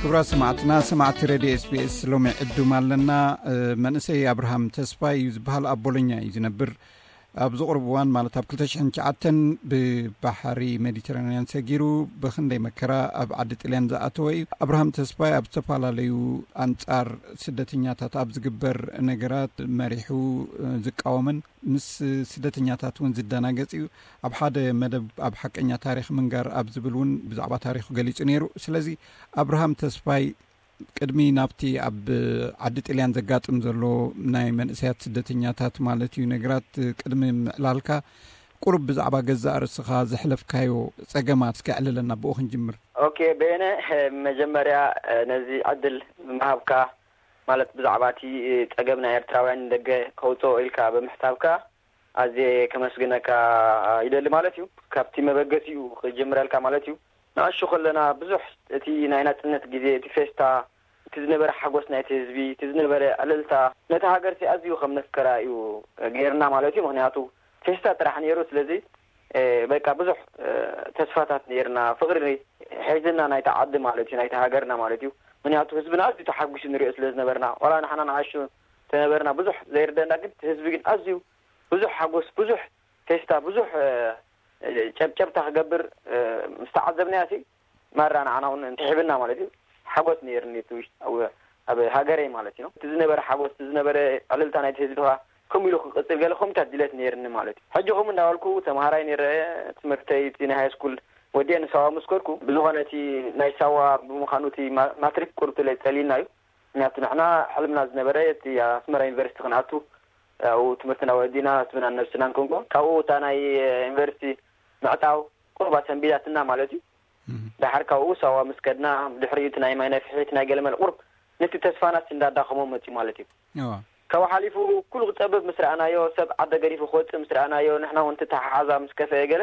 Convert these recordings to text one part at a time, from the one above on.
ክቡራት ሰማዕትና፣ ሰማዕቲ ሬድዮ ኤስቢኤስ፣ ሎሚ ዕዱም ኣለና። እ፣ መንእሰይ ኣብርሃም ተስፋይ እዩ ዝበሃል። ኣብ ቦሎኛ እዩ ዝነብር። ኣብዚ ቁሩብ እዋን፣ ማለት ኣብ ክልተ ሽሕን ትሽዓተን፣ ብባሕሪ ሜዲተራንያን ሰጊሩ ብኽንደይ መከራ ኣብ ዓዲ ጥልያን ዝኣተወ እዩ። ኣብርሃም ተስፋይ ኣብ ዝተፈላለዩ ኣንጻር ስደተኛታት ኣብ ዝግበር ነገራት መሪሑ፣ እ፣ ዝቃወምን ምስ ስደተኛታት እውን ዝደናገጽ እዩ። ኣብ ሓደ መደብ ኣብ ሓቀኛ ታሪኽ ምንጋር ኣብ ዝብል እውን ብዛዕባ ታሪኹ ገሊጹ ነይሩ። ስለዚ ኣብርሃም ተስፋይ፣ ቅድሚ ናብቲ ኣብ ዓዲ ጥልያን ዘጋጥም ዘሎ ናይ መንእሰያት ስደተኛታት ማለት እዩ ነገራት ቅድሚ ምዕላልካ፣ ቁሩብ ብዛዕባ ገዛእ ርእስኻ ዘሕለፍካዮ ጸገማት እስከ ኣዕልለና፣ ብኡ ክንጅምር። ኦኬ፣ በየነ፣ መጀመርያ ነዚ ዕድል ምሃብካ፣ ማለት ብዛዕባ እቲ ጸገም ናይ ኤርትራውያን ንደገ ከውጽኦ ኢልካ ብምሕሳብካ ኣዝየ ከመስግነካ ይደሊ ማለት እዩ። ካብቲ መበገሲኡ ክጅምረልካ ማለት እዩ። ንኣሹ ከለና ብዙሕ እቲ ናይ ናጽነት ግዜ፣ እቲ ፌስታ፣ እቲ ዝነበረ ሓጎስ ናይቲ ህዝቢ፣ እቲ ዝነበረ ዕልልታ፣ ነቲ ሃገርሲ ኣዝዩ ከም ነፍቀራ እዩ ገይርና ማለት እዩ። ምኽንያቱ ፌስታ ጥራሕ ነይሩ። ስለዚ፣ እ፣ በቃ ብዙሕ፣ እ፣ ተስፋታት ነይርና፣ ፍቕሪ ሒዝና ናይቲ ዓዲ ማለት እዩ፣ ናይቲ ሃገርና ማለት እዩ። ምኽንያቱ ህዝብና ኣዝዩ ተሓጒሱ ንሪኦ ስለ ዝነበርና፣ ዋላ ንሕና ንኣሹ ተነበርና ብዙሕ ዘይርደና፣ ግን እቲ ህዝቢ ግን ኣዝዩ ብዙሕ ሓጎስ፣ ብዙሕ ፌስታ፣ ብዙሕ፣ እ፣ ጨብጨብታ ክገብር፣ እ፣ ምስ ተዓዘብናዮ ሲ፣ ማራ ንዓና እውን እንተሒብና ማለት እዩ፣ ሓጎስ ነይርኒ። እቲ ውሽጢ ኣብ፣ ኣብ ሃገረይ ማለት እዩ። እቲ ዝነበረ ሓጎስ፣ እቲ ዝነበረ ዕልልታ ናይቲ ህዝቢ ኸዓ ከምኡ ኢሉ ክቕጽል ገለ ከምታት ድሌት ነይርኒ ማለት እዩ። ሕጂ ከምኡ እንዳበልኩ ተምሃራይ ነይረ፣ ትምህርተይ እቲ ናይ ሃይ ስኩል ወዲአ ንሳዋ ምስ ከድኩ፣ ብዝኾነ እቲ ናይ ሳዋ ብምዃኑ እቲ ማ-፣ ማትሪክ ቁርብ ተለ-፣ ጸሊልና እዩ። ምክንያቱ ንሕና ሕልምና ዝነበረ እቲ ኣስመራ ዩኒቨርሲቲ ክንኣቱ፣ ኣብኡ ትምህርትና ወዲና ህዝብናን ነብስናን ክንኮን፣ ካብኡ እታ ናይ ዩኒቨርሲቲ ምዕጻው ቁርባ ሰንቢዳትና ማለት እዩ። እህ። ደሓር ካብኡ ሳዋ ምስ ከድና፣ ድሕሪኡ እቲ ናይ ማይ ነፍሒ፣ እቲ ናይ ገለመለ ቁሩብ ነቲ ተስፋናስ እንዳዳኸሞ መጽዩ ማለት እዩ። እዋ። ካብኡ ሓሊፉ ኩሉ ክጸብብ ምስ ረኣናዮ፣ ሰብ ዓደ ገዲፉ ክወጽእ ምስ ረኣናዮ፣ ንሕና እውን እቲ ተሓሓዛ ምስ ከፈአ ገለ፣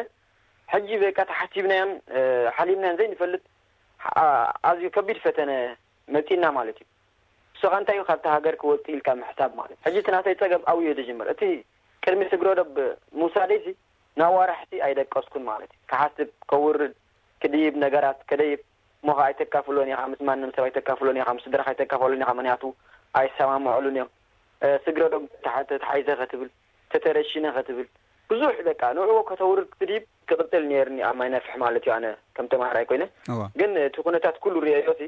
ሕጂ በቃ ተሓሲብናዮን፣ እ፣ ሓሊምናዮን ዘይንፈልጥ፣ ኣ-፣ ኣዝዩ ከቢድ ፈተነ መጺእና ማለት እዩ። ንሱ ኸኣ እንታይ እዩ፣ ካብቲ ሃገር ክወጽእ ኢልካ ምሕሳብ ማለት። ሕጂ እቲ ናተይ ጸገም ኣብኡ እዩ ዝጅምር። እቲ ቅድሚ ስግረ ዶብ ምውሳደይሲ ንኣዋርሕቲ ኣይደቀስኩን ማለት እዩ። ክሓስብ፣ ከውርድ፣ ክድይብ፣ ነገራት ከደይብ፣ እሞ ኸኣ ኣይተካፍሎን ኢኻ፣ ምስ ማንም ሰብ ኣይተካፍሎን ኢኻ፣ ምስ ስድራኻ ኣይተካፍሎን ኢኻ፣ ምኽንያቱ ኣይሰማምዑሉን እዮም። እ፣ ስግረ ዶብ ተታ-፣ ተታሒዘ ኸትብል፣ ተተረሺነ ኸትብል፣ ብዙሕ በቃ ንዕኡ ከተውርድ ክትድይብ ክቕጽል ነይርኒ ኣብ ማይ ነፍሒ ማለት እዩ፣ ኣነ ከም ተማሃራይ ኮይነ። እዋ። ግን እቲ ኩነታት ኩሉ ርእየዮሲ፣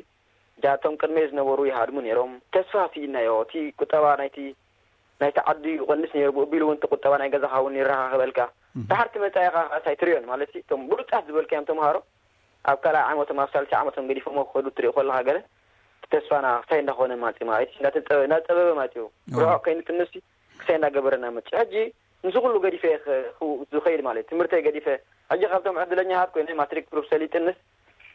እጃ እቶም ቅድመይ ዝነበሩ ይሃድሙ ነይሮም። ተስፋ ስኢናዮ። እቲ ቁጠባ ናይቲ፣ ናይቲ ዓዲ ይቐንስ ነይሩ። ብኡ ኣቢሉ እውን እቲ ቁጠባ ናይ ገዛኻ እውን ይረኻኸበልካ። እህ። ድሓር እቲ መጻኢኻ ኸኣስ ኣይትርእዮን። ማለት እቶም ብሉጻት ዝበልካዮም ተምሃሮ ኣብ ካልኣይ ዓመቶም፣ ኣብ ሳልሳይ ዓመቶም ገዲፎሞ ክኸዱ ትርኢ ከለኻ ገለ፣ እቲ ተስፋና ክሳይ እንዳኾነ ማጽእ ማለት እዩ። እንዳተጸበ-፣ እንዳጸበበ ማጽኡ። እዋ። ርሑቕ ከይንጥንሲ ክሳይ እንዳገበረና መጽእ። ሕጂ ንሱ ኩሉ ገዲፈ እየ ኸ-፣ ክው-፣ ዝኸይድ ማለት እዩ። ትምህርተይ ገዲፈ፣ ሕጂ ካብቶም ዕድለኛታት ኮይነ ማትሪክ ፕሩፍ ሰሊጥንስ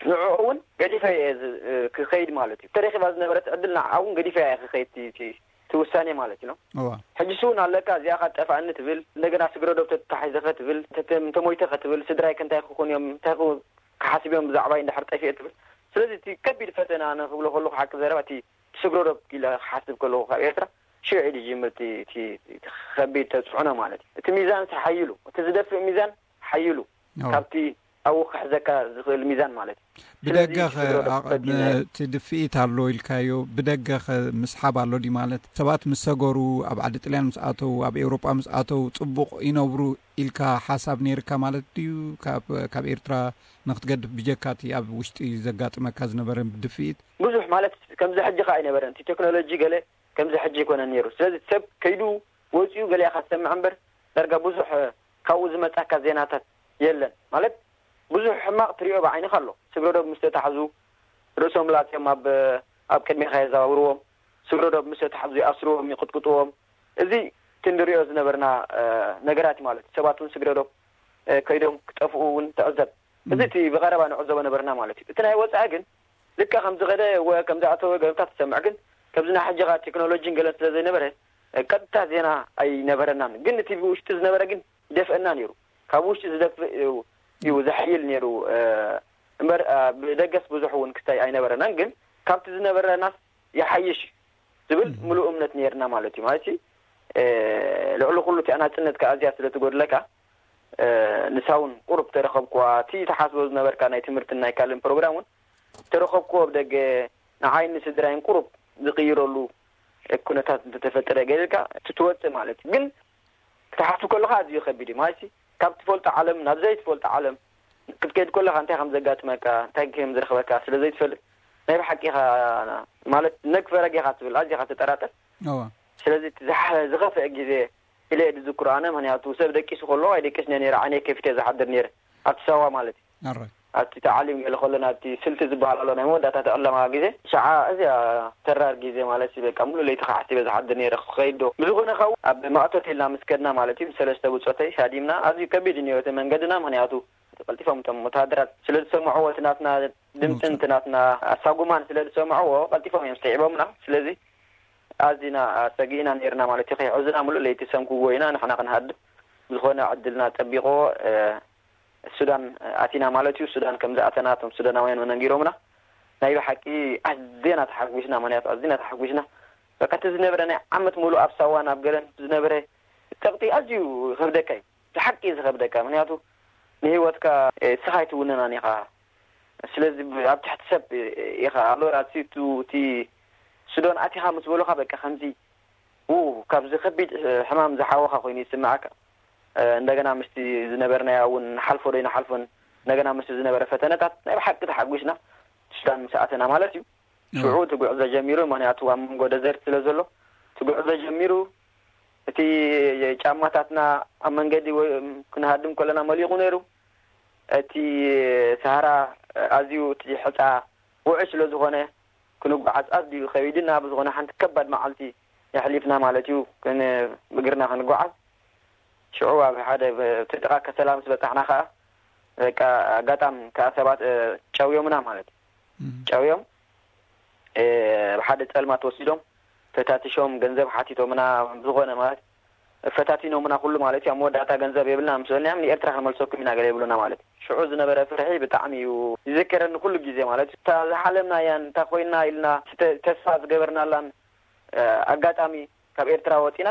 ንዕኡ እውን ገዲፈ እየ ዝ-፣ ክኸይድ ማለት እዩ። ተረኺባ ዝነበረት ዕድል ንዓ እውን ገዲፈ እየ ክኸይድ እቲ፣ እቲ፣ እቲ ውሳኔ ማለት እዩ። እዋ። ሕጂ ሱ እውን ኣለካ፣ እዚኣ ኸ ጠፋእኒ ትብል፣ እንደገና ስግረ ዶብ ተታሒዘ ኸ ትብል፣ ተተ-፣ እንተሞይተ ኸ ትብል፣ ስድራይ ከ እንታይ ክኾኑ እዮም፣ እንታይ ክው-፣ ክሓስብ እዮም ብዛዕባይ እንድሕር ጠፊኤ ትብል። ስለዚ እቲ ከቢድ ፈተና ንክብሎ ከለኹ ሓቂ ዘረባ እቲ ስግረ ዶብ ኢለ ክሓስብ ከለኹ ካብ ኤርትራ ሽዑ እዩ ዝጅምር እቲ፣ እቲ፣ እቲ ከቢድ ተጽዕኖ ማለት እዩ። እቲ ሚዛን ሓይሉ፣ እቲ ዝደፍእ ሚዛን ሓይሉ እዎ። ካብቲ ኣብኡ ክሕዘካ ዝኽእል ሚዛን ማለት እዩ። ስለዚ ብደገ ኸ፣ ስግረ ዶብ ኣቕ-፣ ፈቲና እየ። እቲ ድፍኢት ኣሎ ኢልካዮ፣ ብደገ ኸ ምስሓብ ኣሎ ድዩ ማለት? ሰባት ምስ ሰገሩ፣ ኣብ ዓዲ ጥልያን ምስ ኣተው፣ ኣብ ኤውሮጳ ምስ ኣተው፣ ጽቡቕ ይነብሩ ኢልካ ሓሳብ ነይርካ ማለት ድዩ? ካብ፣ ካብ ኤርትራ ንክትገድፍ ብጀካ እቲ ኣብ ውሽጢ ዘጋጥመካ ዝነበረ ድፍኢት? ብዙሕ ማለት ከምዚ ሕጂ ኸኣ ኣይነበረን። እቲ ቴክኖሎጂ ገለ ከምዚ ሕጂ ኣይኮነን ነይሩ። ስለዚ ሰብ ከይዱ ወጺኡ ገሊኣ ኢኻ ትሰምዕ እምበር፣ ዳርጋ ብዙሕ፣ እ፣ ካብኡ ዝመጻካ ዜናታት የለን። ማለት ብዙሕ ሕማቕ ትሪኦ ብዓይንኻ ኣሎ። ስግረ ዶብ ምስ ተታሕዙ ርእሶም ላጽዮም ኣብ፣ ኣብ ቅድሜኻ የዘዋውርዎም። ስግረ ዶብ ምስ ተታሕዙ ይኣስርዎም፣ ይቕጥቅጥዎም። እዚ እቲ ንሪኦ ዝነበርና፣ እ፣ ነገራት እዩ ማለት እዩ። ሰባት እውን ስግረ ዶብ፣ እ፣ ከይዶም ክጠፍኡ እውን ትዕዘብ። እዚ እም። እቲ ብቐረባ ንዕዘቦ ነበርና ማለት እዩ። እቲ ናይ ወጻኢ ግን ልክዕ ከም ዝኸደ ወ-፣ ከም ዝኣተወ ገለታት ትሰምዕ፣ ግን ከምዚ ናይ ሕጂ ኸኣ ቴክኖሎጂን ገለን ስለ ዘይነበረ፣ ቀጥታ ዜና ኣይነበረናን። ግን እቲ ብውሽጢ ዝነበረ ግን ይደፍአና ነይሩ። ካብ ውሽጢ ዝደፍእ እዩ፣ እዩ ዘሕይል ነይሩ፣ እ፣ እምበር፣ እ፣ ብደገስ ብዙሕ እውን ክስታይ ኣይነበረናን። ግን ካብቲ ዝነበረናስ ይሓይሽ ዝብል እም። ምሉእ እምነት ነይርና ማለት እዩ። ማለት፣ እ፣ ልዕሊ ኩሉ እቲኣ ናጽነት ከኣ ኣዝያ ስለ ትጎድለካ፣ እ፣ ንሳ እውን ቁሩብ ተረኸብኩዋ። እቲ ትሓስቦ ዝነበርካ ናይ ትምህርትን ናይ ካልእን ፕሮግራም እውን ተረኸብኩዎ ብደገ። ንዓይን ንስድራይን ቁሩብ ዝቕይረሉ ኩነታት እንተተፈጠረ ገይርካ ትወፅእ ማለት እዩ። ግን ክትሓስብ ከለኻ ኣዝዩ ከቢድ እዩ ማለት እዩ። ካብ ትፈልጦ ዓለም ናብ ዘይትፈልጦ ዓለም ክትከይድ ከለኻ እንታይ ከም ዘጋጥመካ፣ እንታይ ከም ዝረኽበካ ስለ ዘይትፈልጥ ናይ ብሓቂ ኢኻ ማለት ነግ ፈረግ ኢኻ ትብል፣ ኣዝኻ ትጠራጠር። እዋ ስለዚ እቲ ዝሓ- ዝኸፍአ ግዜ ኢለ እየ ዝዝክሮ ኣነ። ምክንያቱ ሰብ ደቂሱ ከሎ ኣይደቅስን እየ ነይረ፣ ዓይነይ ከፊተ ዝሓድር ነይረ ኣብቲ ሳዋ ማለት እዩ። ኣረ ኣብቲ ተዓሊም ገለ ከሎ ናብቲ ስልቲ ዝበሃል ኣሎ ናይ መወዳእታ ተዕለማ ግዜ ሸዓ እዚያ ተራር ግዜ ማለት እዩ። በቃ ሙሉ ለይቲ ከዓሲበ ዝሓድር ነይረ ክኸይድ ዶ ብዝኾነ ካብ ኣብ ማእቶት ኢልና ምስ ከድና ማለት እዩ ብሰለስተ ብፆተይ ሳዲምና ኣዝዩ ከቢድ እዩ ነይሩ እቲ መንገድና። ምክንያቱ ቀልጢፎም እቶም ወተሃደራት ስለ ዝሰምዕዎ እቲ ናትና ድምፅን እቲ ናትና ኣሳጉማን ስለ ዝሰምዕዎ ቀልጢፎም እዮም ስዒቦምና። ስለዚ ኣዚና ሰጊእና ነይርና ማለት እዩ። ከይሕዙና ሙሉእ ለይቲ ሰንክዎ ኢና ንሕና ክንሃድም። ዝኾነ ዕድልና ጠቢቕዎ ሱዳን ኣቲና ማለት እዩ። ሱዳን ከም ዝኣተና እቶም ሱዳናውያን ነጊሮምና። ናይ ብሓቂ ኣዝና ተሓጒስና፣ ምክንያቱ ኣዝና ተሓጒስና። በቃ እቲ ዝነበረ ናይ ዓመት ሙሉእ ኣብ ሳዋን ኣብ ገለን ዝነበረ ፀቕጢ ኣዝዩ ይኸብደካ እዩ፣ ብሓቂ እዩ ዝኸብደካ። ምክንያቱ ንህይወትካ እስኻ ኣይትውንናን ኢኻ። ስለዚ ኣብ ትሕቲ ሰብ ኢኻ ኣሎ ራሲ እቲ ሱዳን ኣቲኻ ምስ በሉኻ በቃ ከምዚ ው ካብዚ ከቢድ ሕማም ዝሓወኻ ኮይኑ ይስምዓካ። እንደገና ምስቲ ዝነበርናያ እውን ንሓልፎ ዶ ይንሓልፎን እንደገና ምስቲ ዝነበረ ፈተነታት ናይ ብሓቂ ተሓጒስና ሱዳን ምስ ኣተና ማለት እዩ። ሽዑ እቲ ጉዕዞ ጀሚሩ፣ ምክንያቱ ኣብ መንጎ ደዘርት ስለ ዘሎ እቲ ጉዕዞ ጀሚሩ። እቲ ጫማታትና ኣብ መንገዲ ወይ ክንሃድም ከለና መሊቑ ነይሩ። እቲ ሰሃራ ኣዝዩ እቲ ሕፃ ውዑይ ስለ ዝኾነ ክንጓዓዝ ኣዝዩ ከቢድና ብዝኾነ ሓንቲ ከባድ መዓልቲ የሕሊፍና ማለት እዩ። ብእግርና ክንጓዓዝ ሽዑ ኣብ ሓደ ተጠቃ ከሰላ ምስ በጻሕና ከዓ በቃ ኣጋጣም ከዓ ሰባት ጨውዮምና ማለት እዩ። ጨውዮም ብሓደ ጸልማት ወሲዶም ፈታቲሾም ገንዘብ ሓቲቶምና ብዝኾነ ማለት ፈታቲኖምና ኩሉ ማለት እዩ። ኣብ መወዳእታ ገንዘብ የብልና ምስ በልናዮም ንኤርትራ ክንመልሰኩም ኢና ገለ ይብሉና ማለት እዩ። ሽዑ ዝነበረ ፍርሒ ብጣዕሚ እዩ ይዝከረኒ ኩሉ ግዜ ማለት እዩ። እታ ዝሓለምናያን እታ ኮይና ኢልና ተስፋ ዝገበርናላን ኣጋጣሚ ካብ ኤርትራ ወፂና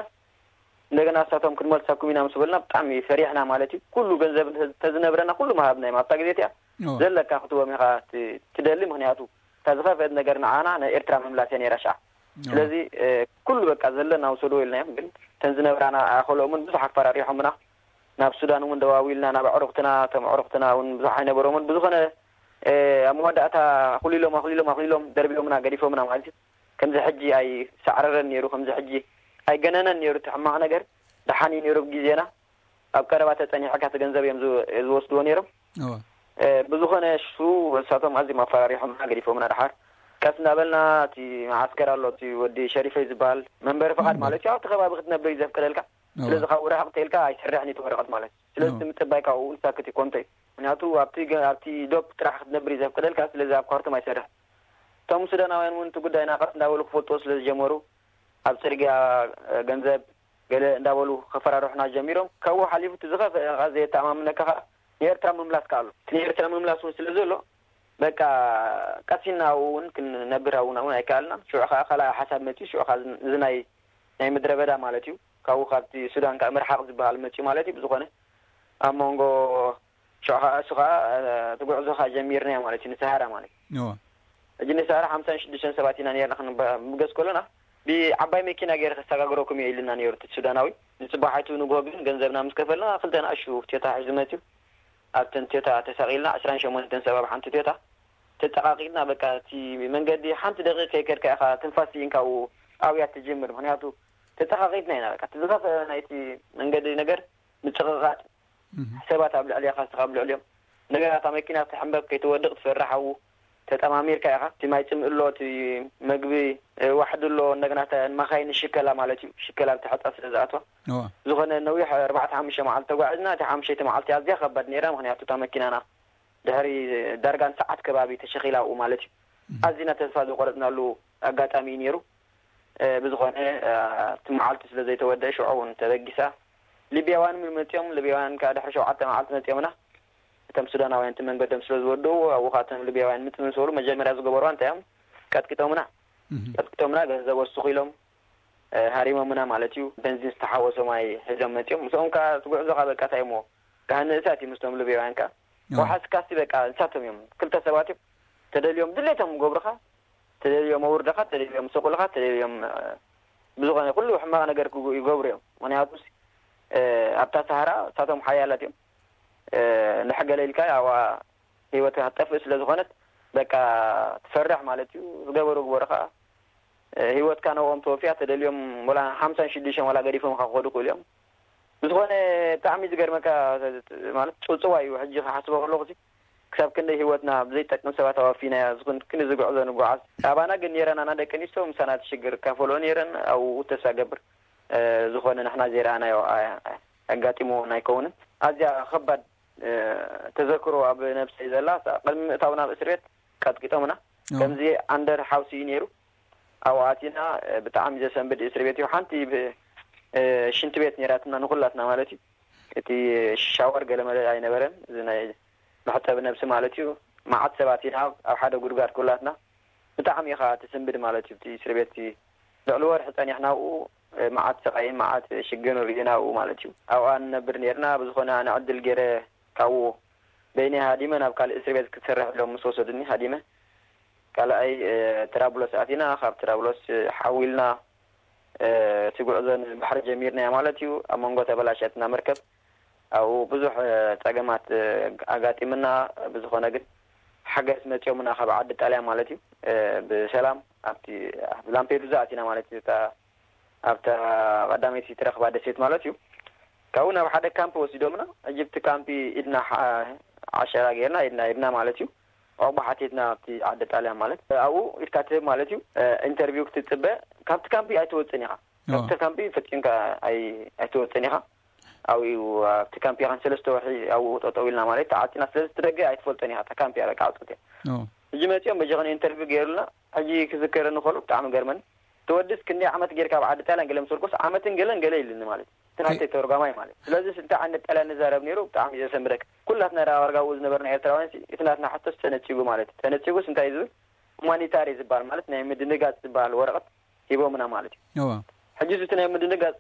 እንደገና እሳቶም ክንመልሰኩም ኢና ምስ በልና ብጣዕሚ ፈሪሕና ማለት እዩ። ኩሉ ገንዘብ ተዝነብረና ኩሉ ምሃብና እዮም ኣብታ ግዜ እቲኣ። ዘለካ ክትቦም ኢኻ ትደሊ ምክንያቱ እታ ዝኸፍአት ነገር ንዓና ናይ ኤርትራ ምምላስ እያ ነይራ ሻዕ። ስለዚ ኩሉ በቃ ዘለና ውሰድዎ ኢልናዮም። ግን እተን ዝነብራና ኣኸልኦምን ብዙሕ ኣፈራሪሖምና። ናብ ሱዳን እውን ደዋዊልና ናብ ኣዕሩኽትና እቶም ኣዕሩኽትና እውን ብዙሕ ኣይነበሮምን። ብዝኾነ ኣብ መወዳእታ ኣኹሊሎም ኣኹሊሎም ኣኹሊሎም ደርቢዮምና ገዲፎምና ማለት እዩ። ከምዚ ሕጂ ኣይሳዕረረን ነይሩ፣ ከምዚ ሕጂ ኣይገነነን ነይሩ እቲ ሕማቕ ነገር። ደሓን እዩ ነይሩ ብግዜና ኣብ ቀረባ ተጸኒሕካ እቲ ገንዘብ እዮም ዝወስድዎ ነይሮም። ብዝኾነ እሱ እሳቶም ኣዝዮም ኣፈራሪሖምና ገዲፎምና። ደሓር ቀስ እንዳበልና እቲ መዓስከር ኣሎ እቲ ወዲ ሸሪፈይ ዝበሃል መንበሪ ፍቓድ ማለት እዩ ኣብቲ ከባቢ ክትነብር እዩ ዘፍቅደልካ። ስለዚ ካብኡ ርሕቕ ተልካ ኣይሰርሕን እዩ እቲ ወረቐት ማለት እዩ። ስለዚ እቲ ምጽባይ ካብኡ እውን ሳክት እዩ ኮንቶ እዩ። ምክንያቱ ኣብቲ ገ- ኣብቲ ዶብ ጥራሕ ክትነብር እዩ ዘፍቅደልካ። ስለዚ ኣብ ካርቱም ኣይሰርሕን። እቶም ሱዳናውያን እውን እቲ ጉዳይና ቀስ እንዳበሉ ክፈልጥዎ ስለ ዝጀመሩ ኣብ ጽርግያ ገንዘብ ገለ እንዳበሉ ከፈራርሑና ጀሚሮም። ካብኡ ሓሊፉ እቲ ዝኸፍአ ከኣ ዘየተኣማምነካ ከኣ ንኤርትራ ምምላስ ከኣ ኣሎ። እቲ ንኤርትራ ምምላስ እውን ስለ ዘሎ በቃ ቀሲና ኣብኡ እውን ክንነብር ኣብኡና እውን ኣይከኣልናን። ሽዑ ከኣ ካልኣይ ሓሳብ መፅዩ። ሽዑ ከኣ እዚ ናይ ናይ ምድረ በዳ ማለት እዩ። ካብኡ ካብቲ ሱዳን ከኣ ምርሓቕ ዝበሃል መፅዩ ማለት እዩ። ብዝኾነ ኣብ መንጎ ሽዑ ከኣ እሱ ከኣ እቲ ጉዕዞ ከኣ ጀሚርናዮ ማለት እዩ ንሰሃራ ማለት እዩ። ሕጂ ንሰሃራ ሓምሳን ሽዱሽተን ሰባት ኢና ነርና ክንበገስ ከሎና ብዓባይ መኪና ገይረ ከሰጋግረኩም እየ ኢልና ነይሩ እቲ ሱዳናዊ። ንፅባሓቱ ንግሆ ግን ገንዘብና ምስ ከፈልና ክልተ ንኣሹ ቴታ ሒዙ መፅዩ። ኣብተን ቴታ ተሳቒልና ዕስራን ሸሞንተን ሰብ ኣብ ሓንቲ ቴታ ተጠቃቂጥና በቃ እቲ መንገዲ ሓንቲ ደቂቅ ከይከድካ ኢኻ ትንፋስ ስኢንካ ኣብያ ትጅምር። ምክንያቱ ተጠቃቂጥና ኢና በቃ እቲ ዝኸፍአ ናይቲ መንገዲ ነገር ምጭቕቓጥ ሰባት ኣብ ልዕሌኻ እስኻ ኣብ ልዕሊኦም እንደገና እታ መኪና ክትሕንበብ ከይትወድቕ ትፈርሕ ኣብኡ ተጠማሚርካ ኢኻ። እቲ ማይ ፅምእ ኣሎ፣ እቲ መግቢ ዋሕዲ ኣሎ፣ እንደገና እተን መኻይን ሽከላ ማለት እዩ ሽከላ ብቲ ሕፃ ስለ ዝኣትዋ ዝኾነ ነዊሕ ኣርባዕተ ሓሙሽተ መዓልቲ ተጓዒዝና። እቲ ሓሙሸይቲ መዓልቲ ኣዝያ ከባድ ነይራ፣ ምክንያቱ እታ መኪናና ድሕሪ ዳርጋ ንሰዓት ከባቢ ተሸኺላ ኣብኡ ማለት እዩ። ኣዚና ተስፋ ዝቆረፅናሉ ኣጋጣሚ እዩ ነይሩ። ብዝኾነ እቲ መዓልቲ ስለ ዘይተወደአ ሽዑ እውን ተበጊሳ። ሊብያውያን እውን መፂኦም፣ ሊብያውያን ከዓ ድሕሪ ሸውዓተ መዓልቲ መፂኦምና። እቶም ሱዳናውያን እቲ መንገዶም ስለ ዝወድኡ ኣብኡ ከዓ እቶም ሊብያውያን ምፅእ ምስ በሉ መጀመርያ ዝገበርዋ እንታይ እዮም ቀጥቂጦምና። ቀጥቂጦምና ገንዘብ ወስኹ ኢሎም ሃሪሞምና ማለት እዩ። በንዚን ዝተሓወሶ ማይ ሒዞም መፂኦም። ምስኦም ከዓ እቲ ጉዕዞ ከዓ በቃ እንታይ እሞ ካህን ንእሳት እዩ ምስቶም ሊብያውያን ከዓ ወሓስካሲ በቃ ንሳቶም እዮም ክልተ ሰባት እዮም ተደልዮም ድሌቶም ገብሩኻ ተደልዮም ኣውርደኻ፣ ተደልዮም ሰቁልኻ፣ ተደልዮም ብዝኾነ ኩሉ ሕማቕ ነገር ይገብሩ እዮም። ምክንያቱ ኣብታ ሳሃራ እሳቶም ሓያላት እዮም። ንሕገለ ኢልካ ኣብኣ ህይወትካ ክትጠፍእ ስለ ዝኾነት በቃ ትፈርሕ ማለት እዩ። ዝገበሩ ግበሩ ከዓ ህይወትካ ነብኦም ተወፊያ፣ ተደልዮም ወላ ሓምሳን ሽዱሽተን ዋላ ገዲፎም ካብ ክኸዱ ክእሉ እዮም። ብዝኾነ ብጣዕሚ ዝገርመካ ማለት ጽውጽዋይ እዩ። ሕጂ ክሓስቦ ከለኹ ክሳብ ክንደይ ህይወትና ብዘይጠቅም ሰባት ኣዋፊናያ ዝኹን ክንዲ ዝጉዕዞ ንጓዓዝ። ኣባና ግን ነይረን ኣና ደቂ ኣንስትዮ ምሳና ትሽግር እካፈልኦ ነይረን ኣብኡ ተስፋ ገብር ዝኾነ ንሕና ዘይረኣናዮ ኣጋጢምዎን ኣይከውንን። ኣዝያ ከባድ ተዘክሮ ኣብ ነብሰይ ዘላ ቅድሚ ምእታው ናብ እስር ቤት ቀጥቂጦምና ከምዚ ኣንደር ሓውሲ እዩ ነይሩ። ኣብኡ ኣቲና ብጣዕሚ ዘሰንብድ እስር ቤት እዩ። ሓንቲ ሽንቲ ቤት ነይራትና ንኩላትና ማለት እዩ። እቲ ሻወር ገለመለ ኣይነበረን። እዚ ናይ መሕጸቢ ነብሲ ማለት እዩ። መዓት ሰባት ኢና ኣብ ሓደ ጉድጓድ ኩላትና። ብጣዕሚ ኢኻ ትስንብድ ማለት እዩ። እቲ እስር ቤት ልዕሊ ወርሒ ጸኒሕና ኣብኡ። መዓት ስቓይን መዓት ሽግርን ርእና ኣብኡ ማለት እዩ። ኣብኣ ንነብር ነርና። ብዝኾነ ኣነ ዕድል ገይረ ካብኡ በይነይ ሃዲመ ናብ ካልእ እስር ቤት ክትሰርሕ ኢሎም ምስ ወሰዱኒ ሃዲመ ካልኣይ ትራብሎስ ኣቲና። ካብ ትራብሎስ ሓዊልና እቲ ጉዕዞ ንባሕሪ ጀሚርናዮ ማለት እዩ። ኣብ መንጎ ተበላሸትና መርከብ ኣብኡ ብዙሕ ጸገማት ኣጋጢምና። ብዝኾነ ግን ሓገዝ መጺኦምና ካብ ዓዲ ጣልያን ማለት እዩ። ብሰላም ኣብቲ ላምፔዱዛ ኣቲና ማለት እዩ። ኣብታ ቀዳመይቲ ትረኽባ ደሴት ማለት እዩ። ካብኡ ናብ ሓደ ካምፕ ወሲዶምና። ሕጂ ኣብቲ ካምፕ ኢድና ዓሸራ ጌርና ኢድና ሂብና ማለት እዩ። ዑቕባ ሓቲትና ኣብቲ ዓዲ ጣልያን ማለት ኣብኡ ኢድካ ትህብ ማለት እዩ። ኢንተርቪው ክትጽበ ካብቲ ካምፕ ኣይትወፅን ኢኻ። ካብቲ ካምፕ ፈፂምካ ኣይትወፅን ኢኻ። ኣብኡ ኣብቲ ካምፕ ኢኻን ሰለስተ ወርሒ ኣብኡ ጠጠው ኢልና ማለት ተዓፂና። ስለዚ እቲ ደገ ኣይትፈልጦን ኢኻ። እታ ካምፕ እያ በቃ ዓፅት እያ። ሕጂ መፂኦም በጃኹን ኢንተርቪው ገይሩልና። ሕጂ ክዝከረኒ ከሎ ብጣዕሚ ገርመኒ። ተወድስ ክንደይ ዓመት ጌርካ ኣብ ዓዲ ጣልያን ገለ ምስ በልኩስ ዓመትን ገለን ገለ ኢሉኒ ማለት እዩ። እቲ ናተይ ተርጓማይ ማለት እዩ። ስለዚ እንታይ ዓይነት ጣልያን ንዛረብ ነይሩ ብጣዕሚ እዩ ዘሰንብደካ። ኩላትና ዳኣ ዳርጋ ኣብኡ ዝነበርና ኤርትራውያን ሲ እቲ ናትና ሕቶስ ተነጺጉ ማለት እዩ። ተነጺጉስ እንታይ እዩ ዝብል? ሁማኒታሪ ዝበሃል ማለት ናይ ምድንጋጽ ዝበሃል ወረቐት ሂቦምና ማለት እዩ። ሕጂ እዚ ናይ ምድንጋጽ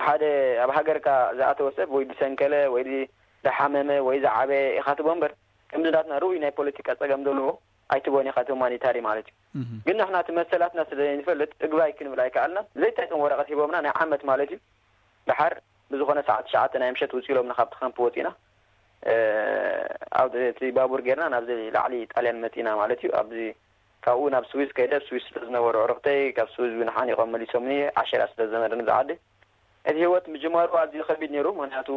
ሓደ ኣብ ሃገርካ ዝኣተወ ሰብ ወይ ዝሰንከለ ወይ ዝሓመመ ወይ ዝዓበየ ኢኻ ትቦ እምበር ከምዚ ናትና ርኡይ ናይ ፖለቲካ ጸገም ዘለዎ ኣይትቦን ኢኻ እቲ ሁማኒታሪ ማለት እዩ። ግን ንሕና እቲ መሰላትና ስለ ዘይንፈልጥ እግባይ ክንብል ኣይከኣልናን። ዘይጠቅም ወረቐት ሂቦምና ናይ ዓመት ማለት እዩ። ደሓር ብዝኾነ ሰዓት ትሽዓተ ናይ ምሸት ውጽእ ኢሎምና ካብቲ ካምፕ ወጺእና። ኣብ እቲ ባቡር ጌርና ናብዚ ላዕሊ ጣልያን መጺእና ማለት እዩ። ኣብዚ ካብኡ ናብ ስዊዝ ከይደ ኣብ ስዊዝ ስለ ዝነበሩ ኣዕሩኽተይ ካብ ስዊዝ እውን ሓኒቖም መሊሶምኒ። ዓሸራ ስለ ዝነበረኒ ዝዓዲ እቲ ህይወት ምጅማሩ ኣዝዩ ከቢድ ነይሩ። ምክንያቱ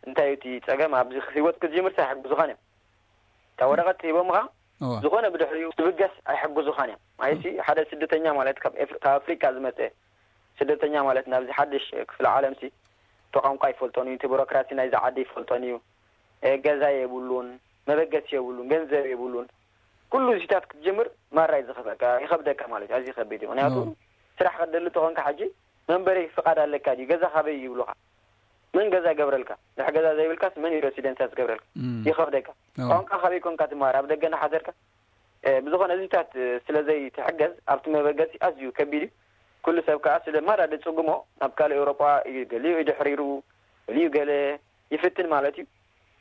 እንታይ እዩ እቲ ጸገም ኣብዚ ህይወት ክትጅምር ኣይሕግዙኻን እዮም። እታ ወረቐት ሂቦምኻ ዝኾነ ብድሕሪኡ ትብገስ ኣይሕግዙኻን እዮም። ማለትሲ ሓደ ስደተኛ ማለት ካብ ኣፍሪካ ዝመፀ ስደተኛ ማለት ናብዚ ሓድሽ ክፍለ ዓለምሲ እቲ ቋንቋ ይፈልጦን እዩ፣ እቲ ቢሮክራሲ ናይዚ ዓዲ ይፈልጦን እዩ። ገዛ የብሉን፣ መበገሲ የብሉን፣ ገንዘብ የብሉን። ኩሉ እዚታት ክትጅምር ማራ እዩ ዝኸብደካ፣ ይኸብደካ ማለት እዩ። ኣዝዩ ከቢድ እዩ። ምክንያቱ ስራሕ ከደሊ ተኾንካ ሕጂ መንበሪ ፍቃድ ኣለካ ድዩ? ገዛ ካበይ ይብሉኻ? መን ገዛ ይገብረልካ? ድሕ ገዛ ዘይብልካስ መን እዩ ሬሲደንሳ ዝገብረልካ? ይኸብደካ። ቋንቋ ካበይ ኮንካ ትማር? ኣብ ደገ እናሓደርካ ብዝኾነ እዚታት ስለ ዘይትሕገዝ ኣብቲ መበገሲ ኣዝዩ ከቢድ እዩ። ኩሉ ሰብ ከዓ ስለ ማራ ድጽግሞ ናብ ካልእ ኤውሮጳ እዩ፣ ገሊኡ እዩ ድሕሪሩ፣ ገሊኡ ገለ ይፍትን ማለት እዩ።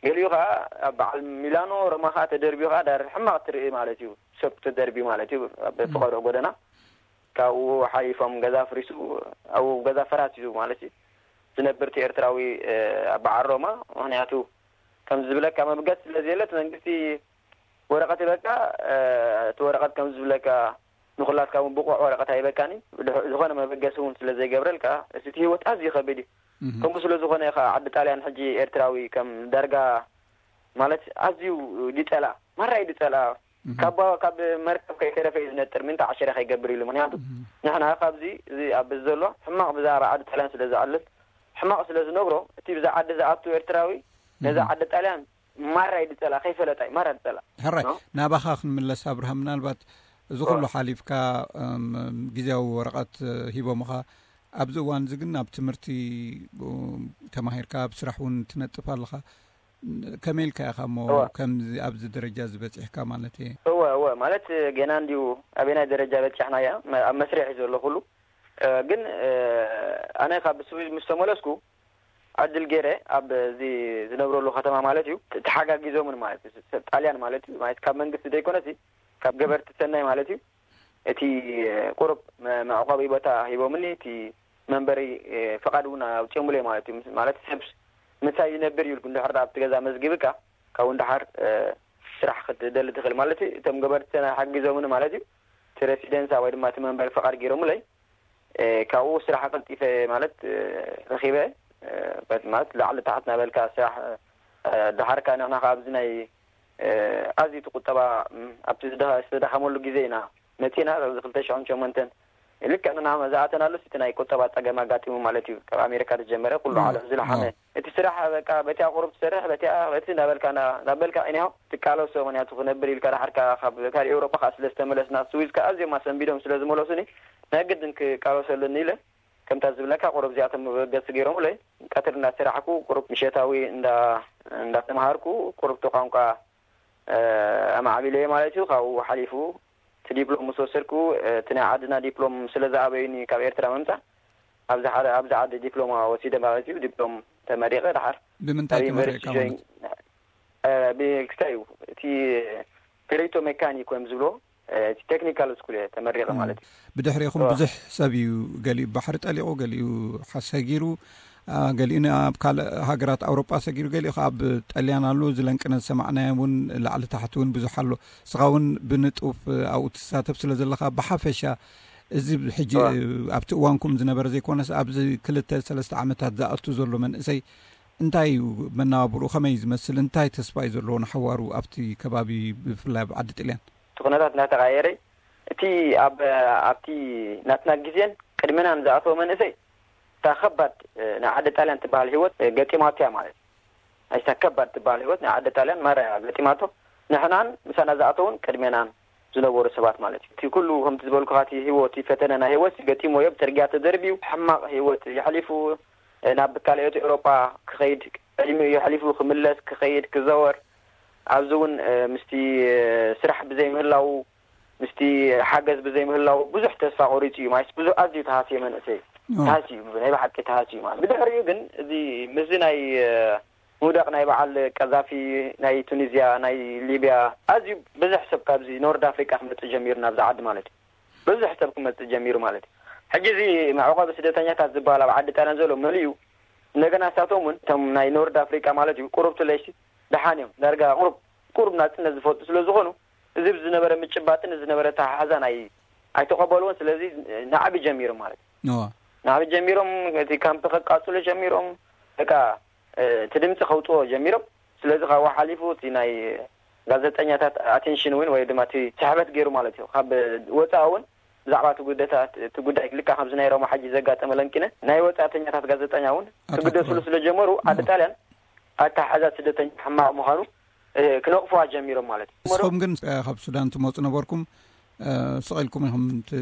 ገሊኡ ከዓ ኣብ በዓል ሚላኖ ሮማ ከዓ ተደርቢዩ ከዓ ዳር ሕማቕ ትርኢ ማለት እዩ። ሰብ ተደርቢዩ ማለት እዩ ኣብ ፍቐዶ ጎደና። ካብኡ ሓሊፎም ገዛ ኣፍሪሱ ኣብኡ ገዛ ፈራሲሱ ማለት እዩ። ዝነብር እቲ ኤርትራዊ ኣብ በዓል ሮማ ምክንያቱ ከምዚ ዝብለካ መብገስ ስለ ዘየለት መንግስቲ ወረቐት ይበልካ። እቲ ወረቐት ከም ዝብለካ ንኩላትካ እውን ብቑዕ ወረቐት ኣይበካኒ። ዝኾነ መበገሲ እውን ስለ ዘይገብረልካ እቲ ህይወት ኣዝዩ ከቢድ እዩ። ከምኡ ስለ ዝኾነ ከዓ ዓዲ ጣልያን ሕጂ ኤርትራዊ ከም ዳርጋ ማለት ኣዝዩ ድጸላ ማራይ ድጸላ ካብ ካብ መርከብ ከይተረፈ እዩ ዝነጥር ምንታ ዓሸራ ከይገብር ኢሉ። ምክንያቱ ንሕና ካብዚ እዚ ኣብ ዘሎ ሕማቕ ብዛዕባ ዓዲ ጣልያን ስለ ዝዓልል ሕማቕ ስለ ዝነግሮ እቲ ብዛ ዓዲ ዝኣቱ ኤርትራዊ ነዛ ዓዲ ጣልያን ማራ እዩ ዝጸላ፣ ከይፈለጣ እዩ ማራ ዝጸላ። ሕራይ፣ ናባኻ ክንምለስ ኣብርሃም፣ ምናልባት እዚ ኩሉ ሓሊፍካ ግዜያዊ ወረቐት ሂቦምኻ፣ ኣብዚ እዋን እዚ ግን ኣብ ትምህርቲ ተማሂርካ ኣብ ስራሕ እውን ትነጥፍ ኣለኻ። ከመይ ኢልካ ኢኻ እሞ ከምዚ ኣብዚ ደረጃ እዚ በጺሕካ ማለት እየ? እወ እወ፣ ማለት ገና እንዲዩ ኣበናይ ደረጃ በጺሕና እያ፣ ኣብ መስርሕ እዩ ዘሎ ኩሉ። ግን ኣነ ካብ ስዊዝ ምስ ተመለስኩ ዕድል ገይረ ኣብ እዚ ዝነብረሉ ከተማ ማለት እዩ ተሓጋጊዞምን ማለት እዩ ሰብ ጣልያን ማለት እዩ ማለት ካብ መንግስቲ ዘይኮነሲ ካብ ገበርቲ ሰናይ ማለት እዩ እቲ ቁሩብ መ- መዕቆቢ ቦታ ሂቦምኒ። እቲ መንበሪ ፍቓድ እውን ኣውፅኦምለይ ማለት እዩ። ማለት ሰብ ምሳይ ይነብር እዩ። እንድሕር ኣብቲ ገዛ መዝጊብካ ካብኡ ንደሓር ስራሕ ክትደሊ ትኽእል ማለት እዩ። እቶም ገበርቲ ሓጊዞምኒ ማለት እዩ። እቲ ሬሲደንሳ ወይ ድማ እቲ መንበሪ ፍቓድ ገይሮምለይ። ካብኡ ስራሕ ቀልጢፈ ማለት ረኺበ። ማለት ላዕሊ ታሕት ናበልካ ስራሕ ደሓርካ ንሕና ኣብዚ ናይ ኣዝዩ እቲ ቁጠባ ኣብቲ ዝተዳኸመሉ ግዜ ኢና መፂና። ኣብዚ ክልተ ሽሕን ሸሞንተን ልክዕ ንና ዝኣተናሉ እቲ ናይ ቁጠባ ፀገም ኣጋጢሙ ማለት እዩ። ካብ ኣሜሪካ ዝጀመረ ኩሉ ዓለም ዝለሓመ እቲ ስራሕ በቃ በቲያ ቁሩብ ትሰርሕ በቲያ በቲ ናበልካ ናበልካ ኢኒሆ ትቃለሶ። ምክንያቱ ክነብር ኢልካ ዳሓርካ ካብ ካል ኤውሮጳ ከዓ ስለ ዝተመለስና ስዊዝ ከዓ ኣዝዮም ኣሰንቢዶም ስለ ዝመለሱኒ ናይ ግድን ክቃለሶ ኣለኒ ኢለ ከምታ ዝብለካ ቁሩብ እዚኣቶም መበገሲ ገይሮም ኢለ ቀትሪ እንዳሰራሕኩ ቁሩብ ምሸታዊ እንዳ እንዳተምሃርኩ ቁሩብ ቋንቋ ኣማዕቢለየ ማለት እዩ። ካብኡ ሓሊፉ እቲ ዲፕሎም ምስ ወሰድኩ እቲ ናይ ዓድና ዲፕሎም ስለ ዝኣበዩኒ ካብ ኤርትራ ምምፃእ ኣብዚ ሓደ ኣብዚ ዓዲ ዲፕሎማ ወሲደ ማለት እዩ። ዲፕሎም ተመሪቐ ደሓር ብምንታይ ተመሪቕካ ማለት ክስታይ እዩ እቲ ቴሌቶ ሜካኒክ ወይም ዝብሎ እቲ ቴክኒካል ስኩል እየ ተመሪቐ ማለት እዩ። ብድሕሪኹም ብዙሕ ሰብ እዩ ገሊኡ ባሕሪ ጠሊቑ፣ ገሊኡ ሓሰጊሩ፣ ገሊኡ ኣብ ካልእ ሃገራት ኣውሮጳ ሰጊሩ፣ ገሊኡ ኣብ ጠልያን ኣሎ። ዝለንቅነ ዝሰማዕናዮ እውን ላዕሊ ታሕቲ እውን ብዙሕ ኣሎ። እስኻ እውን ብንጡፍ ኣብኡ ትሳተፍ ስለ ዘለኻ ብሓፈሻ እዚ ሕጂ ኣብቲ እዋንኩም ዝነበረ ዘይኮነስ ኣብዚ ክልተ ሰለስተ ዓመታት ዝኣቱ ዘሎ መንእሰይ እንታይ እዩ መነባብርኡ ከመይ እዩ ዝመስል እንታይ ተስፋ እዩ ዘለዎ ንሓዋሩ ኣብቲ ከባቢ ብፍላይ ኣብ ዓዲ ጥልያን? እቲ ኩነታት እናተቐያየረ እቲ ኣብ ኣብቲ ናትና ግዜን ቅድመናን ዝኣተወ መንእሰይ እታ ከባድ ናይ ዓዲ ጣልያን ትበሃል ህይወት ገጢማቶ እያ ማለት እዩ። እታ ከባድ ትበሃል ህይወት ናይ ዓዲ ጣልያን ማራ እያ ገጢማቶ። ንሕናን ምሳና ዝኣተውን ቅድሜናን ዝነበሩ ሰባት ማለት እዩ። እቲ ኩሉ ከምቲ ዝበልኩኻ እቲ ህይወት ፈተነ ናይ ህይወት ገጢሞ እዮ። ብፅርግያ ተደርብዩ ሕማቕ ህይወት የሕሊፉ ናብ ካልኦት ኤውሮጳ ክኸይድ ዕድሚኡ የሕሊፉ ክምለስ ክኸይድ ክዘወር ኣብዚ እውን ምስቲ ስራሕ ብዘይምህላው ምስቲ ሓገዝ ብዘይምህላው ብዙሕ ተስፋ ቆሪፁ እዩ ማለት ብዙሕ ኣዝዩ ተሃስየ መንእሰይ ተሃስዩ ናይ ብሓቂ ተሃስዩ ማለት ብድሕሪኡ ግን እዚ ምስዚ ናይ ምውዳቕ ናይ በዓል ቀዛፊ ናይ ቱኒዝያ ናይ ሊብያ ኣዝዩ ብዙሕ ሰብ ካብዚ ኖርድ ኣፍሪቃ ክመፅእ ጀሚሩ ናብዚ ዓዲ ማለት እዩ። ብዙሕ ሰብ ክመፅእ ጀሚሩ ማለት እዩ። ሕጂ እዚ መዕቆቢ ስደተኛታት ዝበሃል ኣብ ዓዲ ጣልያን ዘሎ መሊኡ እንደገና ንሳቶም እውን እቶም ናይ ኖርድ ኣፍሪቃ ማለት እዩ ቁሩብ ትለይሲ ደሓን እዮም ዳርጋ ቁሩብ ቁሩብ ናፅነት ዝፈልጡ ስለ ዝኾኑ እዚ ዝነበረ ምጭባጥን ዝነበረ ተሓሓዛ ናይ ኣይተቐበልዎን። ስለዚ ናዕቢ ጀሚሮም ማለት እዩ። ናዕቢ ጀሚሮም እቲ ካምፕ ከቃፅሉ ጀሚሮም በቃ እቲ ድምፂ ከውፅዎ ጀሚሮም። ስለዚ ካብኡ ሓሊፉ እቲ ናይ ጋዜጠኛታት ኣቴንሽን እውን ወይ ድማ እቲ ስሕበት ገይሩ ማለት እዩ። ካብ ወፃኢ እውን ብዛዕባ እቲ ጉዳይ ልካ ከምዚ ናይ ሮማ ሓጂ ዘጋጠመ ለንቂነ ናይ ወፃእተኛታት ጋዜጠኛ እውን ክግደስሉ ስለ ጀመሩ ዓዲ ጣልያን ኣተሓሕዛ ስደተኛ ሕማቕ ምዃኑ ክነቕፍዋ ጀሚሮም ማለት እዩ። ንስኹም ግን ካብ ሱዳን ትመፁ ነበርኩም ስቕ ኢልኩም ኢኹም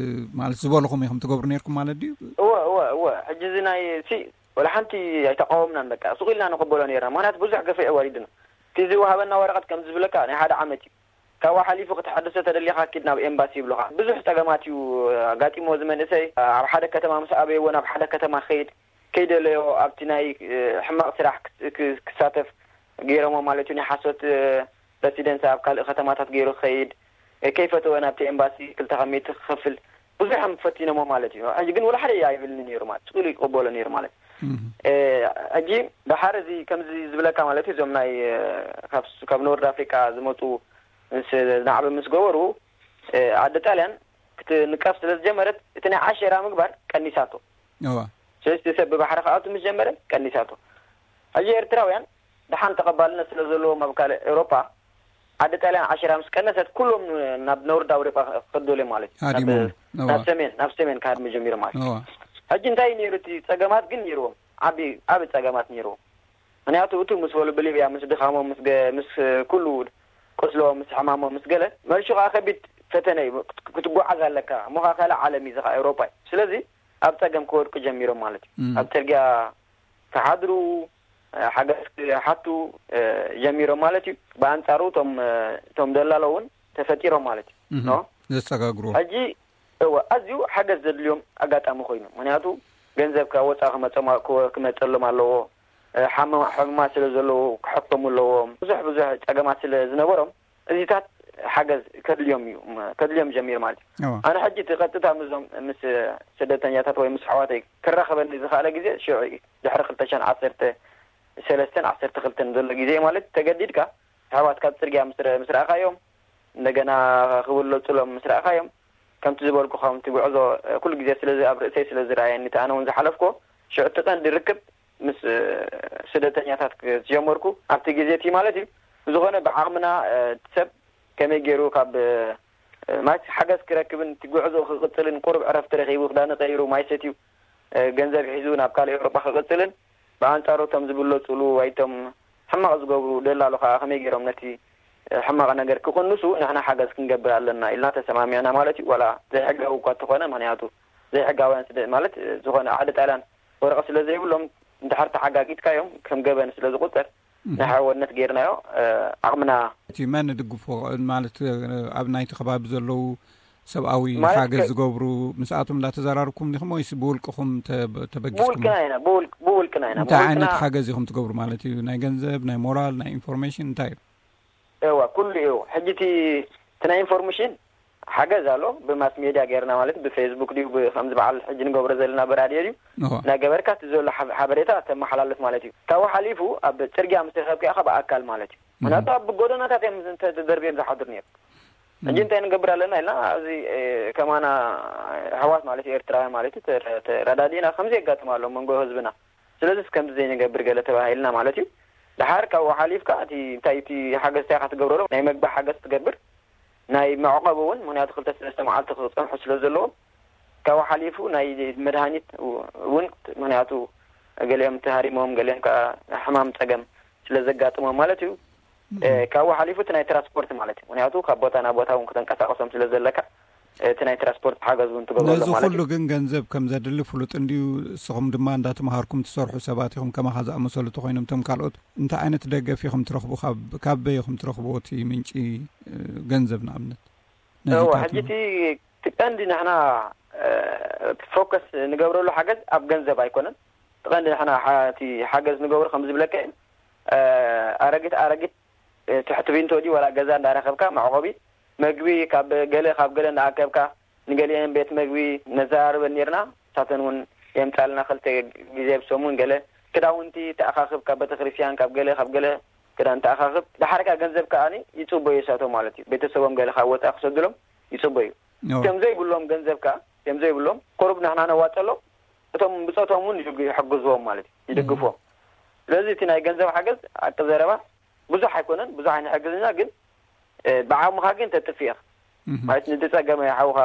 ማለት ዝበልኹም ኢኹም ትገብሩ ነርኩም ማለት ድዩ? እወ እወ እወ ሕጂ እዚ ናይ ሲ ወላ ሓንቲ ኣይተቃወምናን በቃ ስቕ ኢልና ንቕበሎ ነርና። ምክንያቱ ብዙሕ ገፈ ኣዋሪድና እቲ ዝወሃበና ወረቐት ከም ዝብለካ ናይ ሓደ ዓመት እዩ። ካብኡ ሓሊፉ ክትሓድሶ ተደሊኻ ኪድ ናብ ኤምባሲ ይብሉኻ። ብዙሕ ጸገማት እዩ ኣጋጢሞ እዚ መንእሰይ። ኣብ ሓደ ከተማ ምስ ኣበይዎ ናብ ሓደ ከተማ ክኸይድ ከይደለዮ ኣብቲ ናይ ሕማቕ ስራሕ ክሳተፍ ገይሮሞ ማለት እዩ። ናይ ሓሶት ፕረሲደንስ ኣብ ካልእ ከተማታት ገይሩ ክኸይድ ከይፈተወ ናብቲ ኤምባሲ ክልተ ሚእቲ ክኸፍል ብዙሕ ፈቲኖሞ ማለት እዩ። ሕጂ ግን ወላ ሓደ ኣይብልኒ ነይሩ ማለት ስቕ ኢሉ ይቅበሎ ነይሩ ማለት ሕጂ ደሓር እዚ ከምዚ ዝብለካ ማለት እዩ። እዞም ናይ ካብ ኖርድ ኣፍሪቃ ዝመፁ ምስ ናዕቢ ምስ ገበሩ ዓዲ ጣልያን ክትንቀፍ ስለ ዝጀመረት እቲ ናይ ዓሸራ ምግባር ቀኒሳቶ። ስለዚ ሰብ ብባሕሪ ክኣቱ ምስ ጀመረ ቀኒሳቶ። ሕጂ ኤርትራውያን ደሓን ተቐባልነት ስለ ዘለዎም ኣብ ካልእ ኤውሮጳ ዓዲ ጣልያን ዓሸራ ምስ ቀነሰት ኩሎም ናብ ኖርድ ኣውሮጳ ክኸዱ እዮም ማለት እዩ። ናብ ሰሜን ናብ ሰሜን ክሃድሙ ጀሚሩ ማለት እዩ። ሕጂ እንታይ ነይሩ እቲ ጸገማት ግን ነይርዎም ዓቢ ዓቢ ጸገማት ነይርዎም። ምክንያቱ እቱ ምስ በሉ ብሊብያ ምስ ድኻሞም ምስ ምስ ኩሉ ቁስሎ ምስ ሕማሞም ምስ ገለ መልሹ ከዓ ከቢድ ፈተነ እዩ። ክትጓዓዝ ኣለካ እሞ ከዓ ካልእ ዓለም እዩ ዝካ ኤውሮጳ እዩ። ስለዚ ኣብ ጸገም ክወድቁ ጀሚሮም ማለት እዩ። ኣብ ጽርግያ ክሓድሩ ሓገዝ ክሓቱ ጀሚሮም ማለት እዩ። ብኣንጻሩ እቶም እቶም ደላሎ እውን ተፈጢሮም ማለት እዩ። ዘሰጋግሩ ሕጂ እወ ኣዝዩ ሓገዝ ዘድልዮም ኣጋጣሚ ኮይኑ ምክንያቱ ገንዘብ ካብ ወፃኢ ክመፀም ክመፀሎም ኣለዎ። ሕሙማት ስለ ዘለዉ ክሕከሙ ኣለዎም። ብዙሕ ብዙሕ ፀገማት ስለ ዝነበሮም እዚታት ሓገዝ ከድልዮም እዩ፣ ከድልዮም ጀሚሩ ማለት እዩ። ኣነ ሕጂ እቲ ቀጥታ ምስዞም ምስ ስደተኛታት ወይ ምስ ኣሕዋተይ ክራኸበኒ ዝኽኣለ ግዜ ሽዑ እዩ። ድሕሪ ክልተ ሽሕን ዓሰርተ ሰለስተን ዓሰርተ ክልተን ዘሎ ግዜ ማለት ተገዲድካ ኣሕዋት ካብ ጽርግያ ምስ ረ- ምስ ረኣኻዮም፣ እንደገና ክብለጹሎም ምስ ረኣኻዮም፣ ከምቲ ዝበልኩ ከምቲ ጉዕዞ ኩሉ ግዜ ስለ ኣብ ርእሰይ ስለ ዝረኣየኒ፣ እቲ ኣነ እውን ዝሓለፍኩዎ ሽዑ እቲ ቀንዲ ርክብ ምስ ስደተኛታት ዝጀመርኩ ኣብቲ ግዜ እቲ ማለት እዩ። ብዝኾነ ብዓቕምና ሰብ ከመይ ገይሩ ካብ ማለት ሓገዝ ክረክብን እቲ ጉዕዞ ክቕጽልን ቁሩብ ዕረፍቲ ረኺቡ ክዳን ቀይሩ ማይ ሰትዩ ገንዘብ ሒዙ ናብ ካልእ ኤውሮጳ ክቕጽልን ብኣንጻሩ እቶም ዝብለጹሉ ወይ እቶም ሕማቕ ዝገብሩ ደላሎ ከኣ ከመይ ገይሮም ነቲ ሕማቕ ነገር ክቕንሱ ንሕና ሓገዝ ክንገብር ኣለና ኢልና ተሰማሚዕና ማለት እዩ። ዋላ ዘይሕጋዊ እኳ እንተኾነ፣ ምኽንያቱ ዘይሕጋውያን ስደ- ማለት ዝኾነ ሓደ ጣልያን ወረቐት ስለ ዘይብሎም እንድሕር ተሓጋጊጥካዮም ከም ገበን ስለ ዝቑጸር ናይ ሓወነት ገይርናዮ። ዓቕምና እቲ መን ድግፎ ማለት ኣብ ናይቲ ከባቢ ዘለዉ ሰብኣዊ ማለት ሓገዝ ከ- ዝገብሩ ምስኣቶም እንዳተዘራርኩም ዲኹም ወይስ ብውልቅኹም ተበ- ተበጊስኩም? ብውልቅና ኢና ብውልቅ- ብውልቅና ኢና እንታይ ብውልቅና ዓይነት ሓገዝ ኢኹም ትገብሩ ማለት እዩ? ናይ ገንዘብ፣ ናይ ሞራል፣ ናይ ኢንፎርሜሽን እንታይ እዩ? እዋ ኩሉ እዩ። ሕጂ እቲ እቲ ናይ ኢንፎርሜሽን ሓገዝ ኣሎ ብማስ ሜድያ ገይርና ማለት ብፌስቡክ ድዩ ብ- ከምዚ በዓል ሕጂ ንገብሮ ዘለና ብራድዮ ድዩ እዋ። እናገበርካ እቲ ዘሎ ሓብ- ሓበሬታ ተመሓላልፍ ማለት እዩ። ካብኡ ሓሊፉ ኣብ ፅርግያ ምስ ረኸብካ ኢኻ ብኣካል ማለት እዩ። ምክንያቱ ኣብ ጎደናታት እዮም እንተ- ተደርብዮም ዝሓድሩ ነይሩ። ሕጂ እንታይ ንገብር ኣለና ኢልና ኣብዚ ከማና ኣሕዋት ማለት ኤርትራውያን ማለት ተረዳዲእና ከምዚ የጋጥም ኣሎ መንጎ ህዝብና። ስለዚስ ከምዚ ዘይንገብር ገለ ተባሂልና ማለት እዩ። ድሓር ካብኡ ሓሊፍካ እቲ እንታይ እቲ ሓገዝ እንታይ ኢኻ ትገብረሎም ናይ መግቢ ሓገዝ ትገብር ናይ መዕቆቢ እውን ምክንያቱ ክልተ ሰለስተ መዓልቲ ክፀንሑ ስለ ዘለዎም ካብኡ ሓሊፉ ናይ መድሃኒት እውን ምክንያቱ ገሊኦም ተሃሪሞም ገሊኦም ከዓ ሕማም ፀገም ስለ ዘጋጥሞም ማለት እዩ። ካብኡ ሓሊፉ እቲ ናይ ትራንስፖርት ማለት እዩ። ምክንያቱ ካብ ቦታ ናብ ቦታ እውን ክተንቀሳቀሶም ስለ ዘለካ እቲ ናይ ትራንስፖርት ሓገዝ እውን ትገብረሎም ነዚ ማለት ኩሉ እዩ። ግን ገንዘብ ከም ዘድሊ ፍሉጥ እንድዩ። ንስኹም ድማ እንዳተምሃርኩም ትሰርሑ ሰባት ኢኹም። ከማኻ ዝኣመሰሉ ተኮይኖም እቶም ካልኦት እንታይ ዓይነት ደገፍ ኢኹም ትረኽቡ? ካብ ካበይ ኢኹም ትረኽብዎ እቲ ምንጪ ገንዘብ ንኣብነት? ነዚ እወ፣ ታትዩ። ሕጂ እቲ እቲ ቀንዲ ንሕና ፎከስ ንገብረሉ ሓገዝ ኣብ ገንዘብ ኣይኮነን። እቲ ቀንዲ ንሕና እቲ ሓገዝ ንገብሮ ከም ዝብለካ እዩ። ኣረጊት ኣረጊት ትሕቲ ቢንቶ ድዩ ዋላ ገዛ እንዳረኸብካ መዕቆቢ መግቢ ካብ ገለ ካብ ገለ እንዳኣከብካ ንገሊአን ቤት መግቢ ነዘራርበን ኔርና። ንሳተን እውን የምጻልና ክልተ ግዜ ብሰሙን ገለ ክዳውንቲ ተኣኻኽብ ካብ ቤተክርስትያን ካብ ገለ ካብ ገለ ክዳን ተኣኻኽብ። ድሓር ከኣ ገንዘብ ከኣ ይጽበዩ እሳቶም ማለት እዩ። ቤተሰቦም ገለ ካብ ወጻኢ ክሰዱሎም ይጽበዩ። እቶም ዘይብሎም ገንዘብ ከኣ እቶም ዘይብሎም ቁሩብ ንሕና ነዋጸሎም እቶም ብጾቶም እውን ይሕግዝዎም ማለት እዩ። ይድግፍዎም። ስለዚ እቲ ናይ ገንዘብ ሓገዝ ሓቂ ዘረባ ብዙሕ ኣይኮነን፣ ብዙሕ ኣይንሕግዝና ግን ብዓቕምኻ ግን ተጥፍእ ኢኻ ማለት ንዝጸገመ ሓውኻ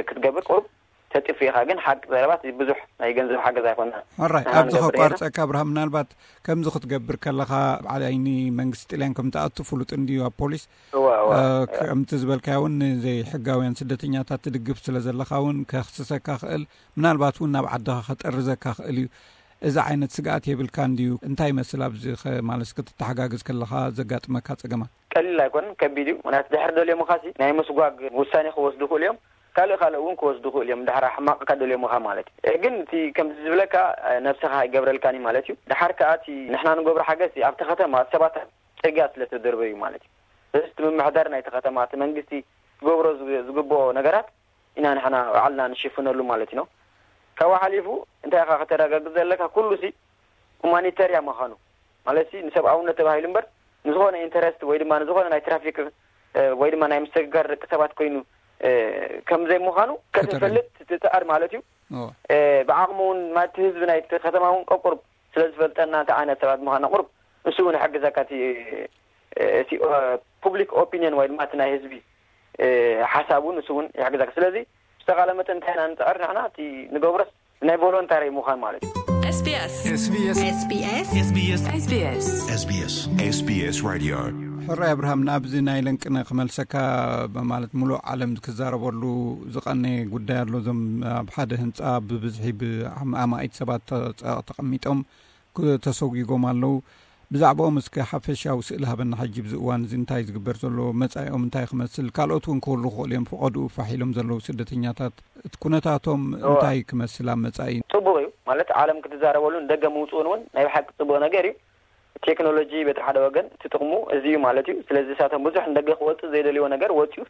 ክትገብር ቁሩብ ተጥፍእ ኢኻ ግን ሓቂ ዘረባ ብዙሕ ናይ ገንዘብ ሓገዝ ኣይኮነን። ሕራይ ኣብዚ ከቋርጸካ ኣብርሃም ምናልባት ከምዚ ክትገብር ከለኻ ኣብ ዓይኒ መንግስቲ ጥልያን ከም ትኣቱ ፍሉጥ እንድዩ ኣብ ፖሊስ ከምቲ ዝበልካዮ እውን ንዘይሕጋውያን ስደተኛታት ትድግፍ ስለ ዘለኻ እውን ከኽስሰካ ክእል ምናልባት እውን ናብ ዓድኻ ከጠርዘካ ክእል እዩ። እዚ ዓይነት ስግኣት የብልካ እንድዩ እንታይ ይመስል ኣብዚ ማለት ክትተሓጋግዝ ከለኻ ዘጋጥመካ ጸገማት? ቀሊል ኣይኮነን፣ ከቢድ እዩ። ምክንያቱ ድሕሪ ደልዮምኻሲ ናይ ምስጓግ ውሳኔ ክወስዱ ይኽእሉ እዮም። ካልእ ካልእ እውን ክወስዱ ይኽእሉ እዮም። ድሕሪ ሕማቕካ ደልዮምኻ ማለት እዩ። ግን እቲ ከምዚ ዝብለካ ነብስኻ ኣይገብረልካን እዩ ማለት እዩ። ድሓር ከኣ እቲ ንሕና ንገብሮ ሓገዝ ኣብቲ ከተማ ሰባት ኣብ ጽርግያ ስለ ተደርበዩ ማለት እዩ። እዚ እቲ ምምሕዳር ናይቲ ከተማ እቲ መንግስቲ ክገብሮ ዝግ- ዝግብኦ ነገራት ኢና ንሕና ባዕልና ንሽፍነሉ ማለት እዩ። ካብኡ ሓሊፉ እንታይ ኢኻ ከተረጋግጽ ዘለካ ኩሉ ሲ ሁማኒተርያ ምዃኑ ማለት ሲ ንሰብኣውነት ተባሂሉ እምበር ንዝኾነ ኢንተረስት ወይ ድማ ንዝኾነ ናይ ትራፊክ ወይ ድማ ናይ ምስግጋር ደቂ ሰባት ኮይኑ ከም ዘይምዃኑ ከተፈልጥ ትጽዕር ማለት እዩ። ብዓቕሚ እውን ማቲ ህዝቢ ናይ ከተማ እውን ቀቁር ስለ ዝፈልጠና እንታይ ዓይነት ሰባት ምዃና ቁሩብ ንሱ እውን ይሕግዘካ እቲ እቲ ፑብሊክ ኦፒኒየን ወይ ድማ እቲ ናይ ህዝቢ ሓሳብ እውን ንሱ እውን ይሕግዘካ። ስለዚ ዝተኻለ መጠን እንታይ ኢና ንፅዕር ንሕና እቲ ንገብሮስ ናይ ቮሎንታሪ ምዃን ማለት እዩ። SBS SBS SBS SBS SBS SBS Radio ሕራይ ኣብርሃም ናብዚ ናይ ለንቅነ ክመልሰካ ማለት ሙሉእ ዓለም ክዛረበሉ ዝቐነ ጉዳይ ኣሎ። እዞም ኣብ ሓደ ህንፃ ብብዝሒ ብኣማኢት ሰባት ተቐሚጦም ተሰጒጎም ኣለዉ። ብዛዕባኦም እስከ ሓፈሻዊ ስእሊ ሃበና። ሕጂ ብዚ እዋን እዚ እንታይ ዝግበር ዘሎ፣ መጻኢኦም እንታይ ክመስል፣ ካልኦት እውን ክህሉ ክኽእሉ እዮም፣ ፈቐድኡ ፋሕ ኢሎም ዘለዉ ስደተኛታት፣ እቲ ኩነታቶም እወ። እንታይ ክመስል ኣብ መጻኢ? ጽቡቕ እዩ ማለት ዓለም ክትዛረበሉን ደገ ምውጽኡን እውን ናይ ብሓቂ ጽቡቕ ነገር እዩ። ቴክኖሎጂ በቲ ሓደ ወገን እቲ ጥቕሙ እዚ እዩ ማለት እዩ። ስለዚ እሳቶም ብዙሕ ንደገ ክወፅእ ዘይደልይዎ ነገር ወፂኡ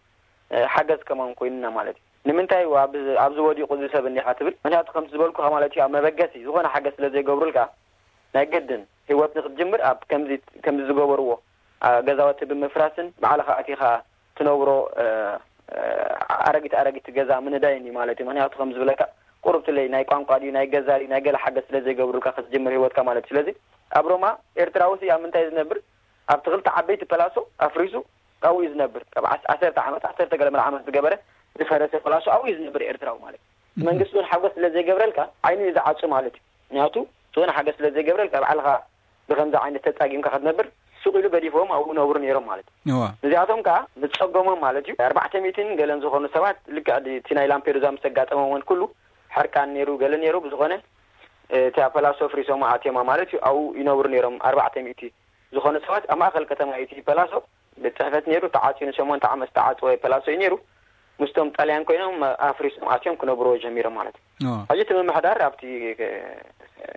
ሓገዝ ከማን ኮይኑና ማለት እዩ። ንምንታይ ኣብዚ ወዲቑ እዚ ሰብ እንዲኻ ትብል? ምክንያቱ ከምቲ ዝበልኩኻ ማለት እዩ፣ ኣብ መበገሲ ዝኾነ ሓገዝ ስለ ዘይገብሩልካ ናይ ግድን ህይወት ንክትጅምር ኣብ ከምዚ ከምዚ ዝገበርዎ ገዛውቲ ብምፍራስን ባዕልኻ ኣቲኻ ትነብሮ ኣረጊት ኣረጊት ገዛ ምንዳይን እዩ ማለት እዩ። ምክንያቱ ከም ዝብለካ ቁሩብትለይ ናይ ቋንቋ ድዩ ናይ ገዛ ድዩ ናይ ገለ ሓገዝ ስለ ዘይገብሩልካ ክትጅምር ህይወትካ ማለት እዩ። ስለዚ ኣብ ሮማ ኤርትራዊ ሲ ኣብ ምንታይ ዝነብር? ኣብቲ ክልተ ዓበይቲ ፐላሶ ኣፍሪሱ ኣብኡ እዩ ዝነብር። ካብ ዓሰርተ ዓመት ዓሰርተ ገለ መለ ዓመት ዝገበረ ዝፈረሰ ፐላሶ ኣብኡ እዩ ዝነብር ኤርትራዊ ማለት እዩ። መንግስቲ እውን ሓገዝ ስለ ዘይገብረልካ ዓይኑ እዩ ዝዓፁ ማለት እዩ። ምክንያቱ ዝኾነ ሓገዝ ስለ ዘይገብረልካ ባዕልኻ ብከምዚ ዓይነት ተፃጊምካ ክትነብር ሱቕ ኢሉ ገዲፎም ኣብኡ ነብሩ ነይሮም ማለት እዩ። እዚኣቶም ከዓ ምፀገሞም ማለት እዩ። ኣርባዕተ ሚእትን ገለን ዝኾኑ ሰባት ልክዕ እቲ ናይ ላምፔዱዛ ምስ ኣጋጠሞም እውን ኩሉ ሕርቃን ነይሩ ገለ ነይሩ። ብዝኾነ እቲ ፐላሶ ፍሪሶም ኣትዮማ ማለት እዩ። ኣብኡ ይነብሩ ነይሮም ኣርባዕተ ሚእቲ ዝኾኑ ሰባት ኣብ ማእኸል ከተማ እዩ እቲ ፐላሶ ቤት ፅሕፈት ነይሩ። ተዓፅዩ ንሸሞንተ ዓመት ዝተዓፅወ ፐላሶ እዩ ነይሩ። ምስቶም ጣልያን ኮይኖም ኣፍሪሶም ኣትዮም ክነብርዎ ጀሚሮም ማለት እዩ። ሕጂ እቲ ምምሕዳር ኣብቲ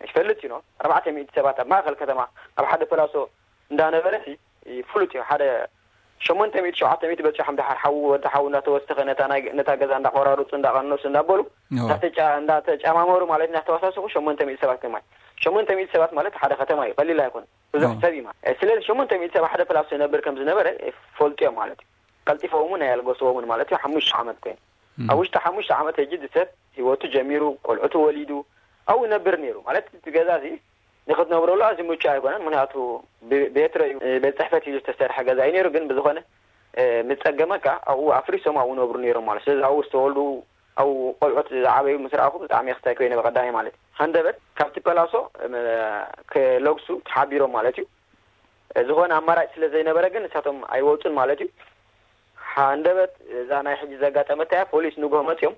ይፈልጥ እዩ። ኣርባዕተ ሚእቲ ሰባት ኣብ ማእኸል ከተማ ኣብ ሓደ ፐላሶ እንዳነበረ ፍሉጥ እዩ። ሓደ ሸሞንተ ሚእቲ ሸውዓተ ሚእቲ በፂሖም ድሓር ሓዉ ወዲ ሓዉ እንዳተወሰኸ ነታ ገዛ እንዳቆራርፁ እንዳቐነሱ እንዳበሉ እንዳተጫማመሩ ማለት እንዳተዋሳሰኹ ሸሞንተ ሚእቲ ሰባት ከማይ ሸሞንተ ሚእቲ ሰባት ማለት ሓደ ከተማ እዩ፣ ቀሊል ኣይኮነን። ብዙሕ ሰብ እዩ ማለት ስለዚ ሸሞንተ ሚእቲ ሰብ ሓደ ፕላስ ዝነብር ከም ዝነበረ ፈልጥዮም ማለት እዩ። ቀልጢፎምን ኣየልገስዎምን ማለት እዩ። ሓሙሽተ ዓመት ኮይኑ ኣብ ውሽጢ ሓሙሽተ ዓመት ሕጂ እቲ ሰብ ህይወቱ ጀሚሩ፣ ቆልዑ ተወሊዱ ኣብኡ ይነብር ነይሩ ማለት እቲ ገዛ እዚ ንክትነብረሉ ኣዝዩ ምቹእ ኣይኮነን። ምክንያቱ ቤትሮ እዩ፣ ቤት ፅሕፈት እዩ ዝተሰርሐ ገዛ እዩ ነይሩ። ግን ብዝኾነ ምፀገመካ ኣብኡ ኣፍሪሶም ኣብኡ ነብሩ ነይሮም ማለት ስለዚ ኣብኡ ዝተወልዱ ኣብኡ ቆልዑት ዝዓበዩ ምስ ረኣኹ ብጣዕሚ ክስታይ ኮይነ ብቀዳማይ ማለት እዩ። ሃንደበት ካብቲ ፐላሶ ክለግሱ ተሓቢሮም ማለት እዩ። ዝኾነ ኣማራጭ ስለ ዘይነበረ ግን ንሳቶም ኣይወፁን ማለት እዩ። ሃንደበት እዛ ናይ ሕጂ ዘጋጠመታ እያ። ፖሊስ ንግሆ መፅዮም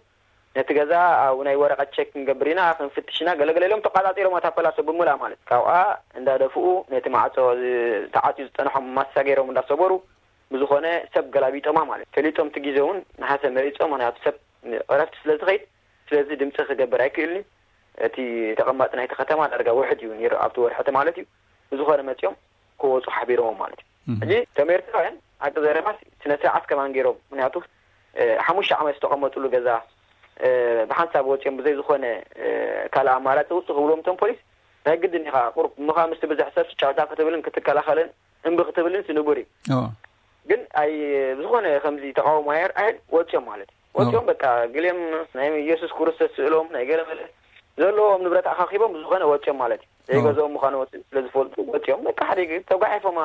ነቲ ገዛ ኣብ ናይ ወረቐት ቸክ ክንገብር ኢና ክንፍትሽ ኢና ገለገለ ኢሎም ተቋፃፂሮም እታ ፐላሶ ብምልኣ ማለት ካብኣ እንዳደፍኡ ነቲ ማዕፆ ተዓፅዩ ዝፀንሖም ማሳ ገይሮም እንዳሰበሩ ብዝኾነ ሰብ ገላቢጦማ ማለት ፈሊጦም እቲ ግዜ እውን ነሓሰ መሪፆም ምክንያቱ ሰብ ዕረፍቲ ስለ ዝኸይድ ስለዚ ድምፂ ክገብር ኣይክእልኒ። እቲ ተቐማጢ ናይቲ ከተማ ዳርጋ ውሕድ እዩ ነይሩ ኣብቲ ወርሒ ማለት እዩ። ብዝኾነ መፂኦም ክወፁ ሓቢሮም ማለት እዩ። ሕጂ እቶም ኤርትራውያን ኣቂ ዘረባስ ስነ ስርዓት ከማን ገይሮም ምክንያቱ ሓሙሽተ ዓመት ዝተቐመጥሉ ገዛ ብሓንሳብ ወፂኦም ብዘይ ዝኾነ ካልእ ኣማራፂ ውፁ ክብልዎም እቶም ፖሊስ ናይ ግድን ኢኻ ቁሩብ ምኻ ምስ ብዝሕ ሰብ ጫውጫ ክትብልን ክትከላኸልን እምቢ ክትብልን ንቡር እዩ። ግን ኣይ ዝኾነ ከምዚ ተቃውሞ ኣየር ኣየር ወፂኦም ማለት እዩ። ወፂኦም በቃ ገሊኦም ናይ የሱስ ክርስቶስ ስእሎም ናይ ገለ መለ ዘለዎም ንብረት ኣኻኺቦም ብዝኾነ ወፂኦም ማለት እዩ። ዘይገዝኦም ምዃኑ ወፂኦም ስለ ዝፈልጡ ወፂኦም በቃ ሓደ ተጓሒፎም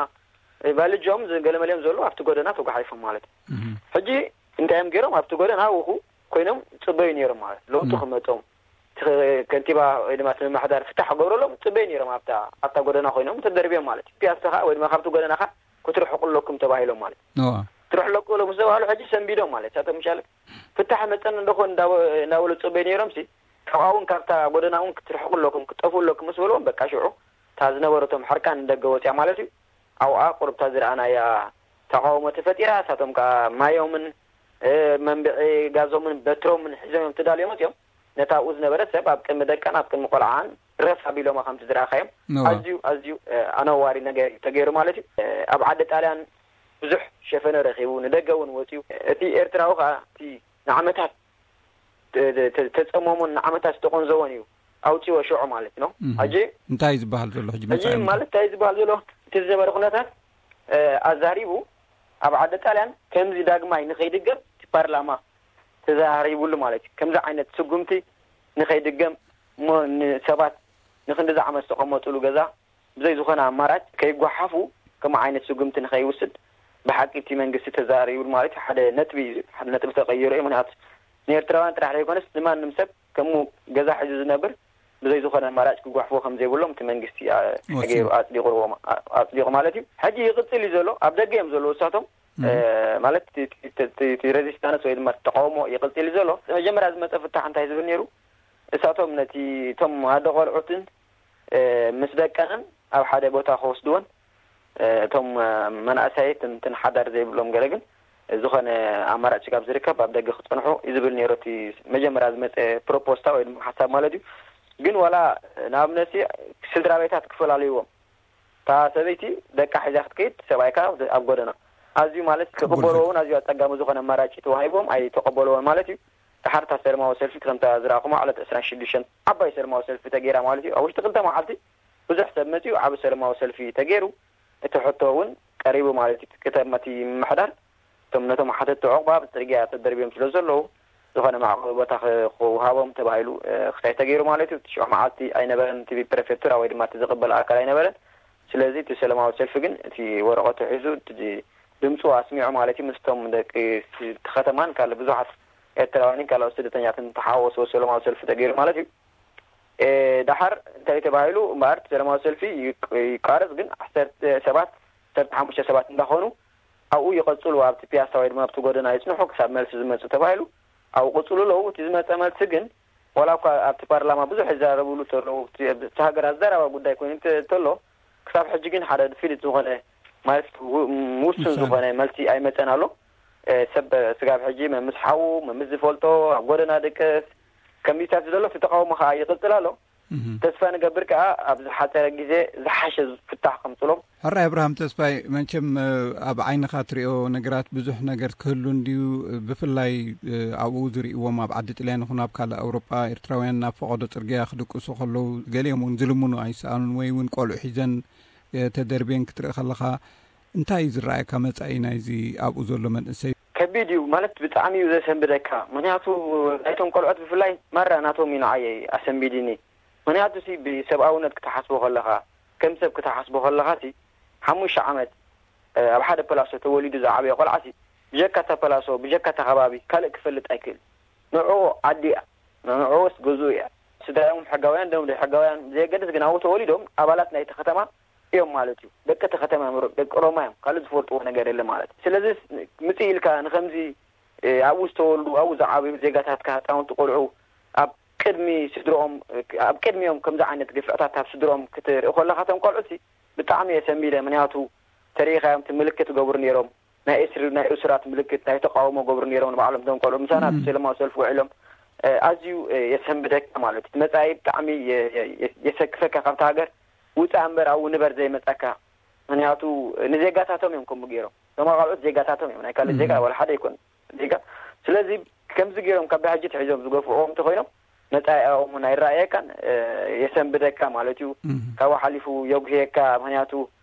ባልጆም ገለ መሊኦም ዘሎ ኣብቲ ጎደና ተጓሒፎም ማለት እዩ። ሕጂ እንታይ እዮም ገይሮም ኣብቲ ጎደና ውኹ ኮይኖም ፅበዩ ነይሮም ማለት ለውጡ ክመፆም ከንቲባ ወይ ድማ እቲ ምምሕዳር ፍታሕ ክገብረሎም ፅበዩ ነይሮም ኣብታ ኣብታ ጎደና ኮይኖም ተደርብዮም ማለት እዩ። ፒያሳ ከዓ ወይ ድማ ካብቲ ጎደና ከዓ ክትርሕቁ ኣለኩም ተባሂሎም ማለት እዩ። ክትርሕቁ ኣለኩም ምስ ተባህሉ ሕጂ ሰንቢዶም ማለት እሳቶም ምሻለ ፍታሕ መፀን እንደኾን እንዳበሉ ፅበዩ ነይሮም ሲ ካብኣ እውን ካብታ ጎደና እውን ክትርሕቁ ኣለኩም ክትጠፍኡ ኣለኩም ምስ በልዎም በቃ ሽዑ እታ ዝነበረቶም ሕርቃን ንደገ ወፅያ ማለት እዩ። ኣብኣ ቁሩብታ ዝረኣናያ ተቃውሞ ተፈጢራ እሳቶም ከዓ ማዮምን መንብዒ ጋዞምን በትሮምን ሒዞም እዮም ተዳልዮም መፅዮም ነታ ኣብኡ ዝነበረት ሰብ ኣብ ቅድሚ ደቃን ኣብ ቅድሚ ቆልዓን ረፍ ኣቢሎማ ከምቲ ዝረኣኻዮም ኣዝዩ ኣዝዩ ኣነዋሪ ነገር እዩ ተገይሩ ማለት እዩ። ኣብ ዓዲ ጣልያን ብዙሕ ሸፈነ ረኺቡ ንደገ እውን ወፅዩ እቲ ኤርትራዊ ከዓ እቲ ንዓመታት ተፀመሞን ንዓመታት ዝተቆንዘቦን እዩ ኣውፅዎ ሽዑ ማለት ነው። ሕጂ እንታይ እዩ ዝበሃል ዘሎ ሕጂ ሕጂ መፃኢ ማለት እንታይ እዩ ዝበሃል ዘሎ እቲ ዝነበረ ኩነታት ኣዛሪቡ ኣብ ዓዲ ጣልያን ከምዚ ዳግማይ ንኸይድገም እቲ ፓርላማ ተዛሪቡሉ ማለት እዩ። ከምዚ ዓይነት ስጉምቲ ንኸይድገም እሞ ንሰባት ንክንዲ ዝዓመት ዝተቐመጡሉ ገዛ ብዘይ ዝኾነ ኣማራጭ ከይጓሓፉ ከም ዓይነት ስጉምቲ ንኸይውስድ ብሓቂ እቲ መንግስቲ ተዛሪቡሉ ማለት እዩ። ሓደ ነጥቢ እዩ። ሓደ ነጥቢ ተቀይሩ እዩ። ምክንያቱ ንኤርትራውያን ጥራሕ ዘይኮነስ ንማንም ሰብ ከምኡ ገዛ ሒዙ ዝነብር ብዘይ ዝኾነ ኣማራጭ ክጓሕፎ ከም ዘይብሎም እቲ መንግስቲ ገይሩ ኣፅዲቑ ማለት እዩ። ሕጂ ይቕፅል እዩ ዘሎ። ኣብ ደገ እዮም ዘለዉ እሳቶም ማለት እቲ ሬዚስታንስ ወይ ድማ ተቃውሞ ይቕፅል እዩ ዘሎ። መጀመርያ ዝመፀ ፍታሕ እንታይ ዝብል ነይሩ? እሳቶም ነቲ እቶም ኣደ ቆልዑትን ምስ ደቀንን ኣብ ሓደ ቦታ ክወስድወን እቶም መናእሰያት እንትን ሓዳር ዘይብሎም ገለ ግን ዝኾነ ኣማራጭ ስጋብ ዝርከብ ኣብ ደገ ክፀንሑ እዩ ዝብል ነይሩ እቲ መጀመርያ ዝመፀ ፕሮፖስታ ወይ ድማ ሓሳብ ማለት እዩ። ግን ዋላ ንኣብነት ስድራ ቤታት ክፈላለይዎም እታ ሰበይቲ ደቃ ሒዛ ክትከይድ፣ ሰብኣይ ከኣ ኣብ ጎደና። ኣዝዩ ማለት ክቕበልዎ እውን ኣዝዩ ኣጸጋሚ ዝኾነ ኣማራጺ ተዋሂቦም ኣይተቐበልዎን ማለት እዩ። ድሓር እታ ሰለማዊ ሰልፊ ከምታ ዝረኣኹማ ዕለት ዕስራን ሽዱሽተን ዓባይ ሰለማዊ ሰልፊ ተገይራ ማለት እዩ። ኣብ ውሽጢ ክልተ መዓልቲ ብዙሕ ሰብ መጺኡ ዓቢ ሰለማዊ ሰልፊ ተገይሩ። እቲ ሕቶ እውን ቀሪቡ ማለት እዩ። እቲ ከተማ፣ እቲ ምምሕዳር እቶም ነቶም ሓተትቲ ዑቕባ ኣብ ጽርግያ ተደርብዮም ስለ ዘለዉ፣ ዝኾነ መዕቆቢ ቦታ ክ-፣ ክወሃቦም ተባሂሉ፣ እ፣ ክሳይ ተገይሩ ማለት እዩ። ትሽዑ መዓልቲ ኣይነበረን፣ እቲ ፕሬፌክቱራ ወይ ድማ እቲ ዝቕበል ኣካል ኣይነበረን። ስለዚ እቲ ሰላማዊ ሰልፊ ግን እቲ ወረቐቱ ሒዙ፣ እቲ ድምፁ ኣስሚዑ ማለት እዩ። ምስቶም ደቂ እቲ ከተማን ካልእ ብዙሓት ኤርትራውያንን ካልኦት ስደተኛትን ተሓዋወሰ ሰላማዊ ሰልፊ ተገይሩ ማለት እዩ። እ፣ ደሓር እንታይ ተባሂሉ እምበኣር፣ እቲ ሰላማዊ ሰልፊ ይቅ-፣ ይቋረጽ፣ ግን ዓሰርተ ሰባት፣ ዓሰርተ ሓሙሽተ ሰባት እንዳኾኑ ኣብኡ ይቐጽሉ፣ ኣብቲ ፒያሳ ወይ ድማ ኣብቲ ጎደና ይጽንሑ ክሳብ መልሲ ዝመጽእ ተባሂሉ ኣብኡ ቅጽሉ ኣለዉ። እቲ ዝመጸ መልሲ ግን፣ ዋላ እኳ ኣብቲ ፓርላማ ብዙሕ ይዛረብሉ ተለዉ፣ እቲ፣ እቲ ሃገር ኣዘራባ ጉዳይ ኮይኑ ተ-፣ ተሎ፣ ክሳብ ሕጂ ግን ሓደ ፍሉጥ ዝኾነ፣ ማለት ው-፣ ውሱን ውሳነ። ዝኾነ መልሲ ኣይመጸን ኣሎ። እ፣ ሰብ ስጋብ ሕጂ መምስ ሓዉ፣ መምስ ዝፈልጦ፣ ኣብ ጎደና ድቅስ፣ ከምዚታት ዝደሎ እቲ ተቃውሞ ከኣ ይቕጽል ኣሎ። እህ። ተስፋ ንገብር ከኣ ኣብ ዝሓጸረ ግዜ ዝሓሸ ፍታሕ ከምጽሎም። ሕራይ ኣብርሃም ተስፋይ፣ መቸም፣ እ፣ ኣብ ዓይንኻ ትሪኦ ነገራት ብዙሕ ነገር ክህሉ እንድዩ። ብፍላይ፣ እ፣ ኣብኡ ዝርእይዎም ኣብ ዓዲ ጥልያን ይኹን ኣብ ካልእ ኣውሮጳ ኤርትራውያን ናብ ፈቐዶ ጽርግያ ክድቅሱ ከለዉ ገሊኦም እውን ዝልምኑ ኣይሰኣኑን ወይ እውን ቆልዑ ሒዘን፣ እ፣ ተደርብየን ክትርኢ ከለኻ እንታይ እዩ ዝረኣየካ መጻኢ ናይዚ ኣብኡ ዘሎ መንእሰይ? ከቢድ እዩ ማለት ብጣዕሚ እዩ ዘሰንብደካ። ምኽንያቱ ናይቶም ቆልዑት ብፍላይ ማራ ናቶም እዩ ንዓየ ኣሰንቢድኒ። ምኽንያቱ ሲ ብሰብኣውነት ክትሓስቦ ከለኻ፣ ከም ሰብ ክትሓስቦ ከለኻ ሲ ሓሙሽተ ዓመት፣ እ፣ ኣብ ሓደ ፐላሶ ተወሊዱ ዝዓበየ ቆልዓ ሲ ብጀካ እታ ፐላሶ፣ ብጀካ እታ ከባቢ ካልእ ክፈልጥ ኣይክእል። ንዕኡ ዓዲ እያ፣ ንዕኡስ ገዝኡ እያ። ስድራኦም ሕጋውያን ዶም ዘይሕጋውያን ብዘየገድስ ግን ኣብኡ ተወሊዶም ኣባላት ናይቲ ከተማ እዮም ማለት እዩ። ደቂ እቲ ከተማ እዮም፣ ደቂ ሮማ እዮም፣ ካልእ ዝፈልጥዎ ነገር የለ ማለት እዩ። ስለዚ ምጽእ ኢልካ ንኸምዚ፣ እ፣ ኣብኡ ዝተወልዱ፣ ኣብኡ ዝዓበዩ ዜጋታትካ፣ ህጻውንቲ ቆልዑ ኣብ ቅድሚ ስድርኦም፣ ኣብ ቅድሚኦም ከምዚ ዓይነት ግፍዕታት ኣብ ስድርኦም ክትርኢ ከለኻ፣ እቶም ቆልዑ ሲ ብጣዕሚ እየ ሰንቢደ። ምኽንያቱ ተሪኢኻዮም፣ እቲ ምልክት ይገብሩ ነይሮም፣ ናይ እስሪ፣ ናይ እሱራት ምልክት፣ ናይ ተቃውሞ ገብሩ ነይሮም ንባዕሎም እቶም ቆልዑ ምሳና እም። ኣብቲ ሰላማዊ ሰልፊ ውዒሎም። እ፣ ኣዝዩ፣ እ፣ የሰንብደካ ማለት እዩ። እቲ መጻኢ ብጣዕሚ የ-፣ የ-፣ የ-፣ የሰክፈካ። ካብቲ ሃገር ውጻእ እምበር ኣብኡ ንበር ዘይመጻካ። ምኽንያቱ ንዜጋታቶም እዮም ከምኡ ገይሮም። እቶም ካልኦት ዜጋታቶም እዮም፣ ናይ ካልእ እም። ዜጋ ዋላ ሓደ ኣይኮኑን። ዜጋ። ስለዚ ከምዚ ገይሮም ካብ ብሕጂ ትሒዞም ዝገፍዕዎም እንተኾይኖም፣ መጻኢኦም እውን ኣይረኣየካን፣ እ፣ የሰንብደካ ማለት እዩ። እም። ካብኡ ሓሊፉ የጉህየካ። ምኽንያቱ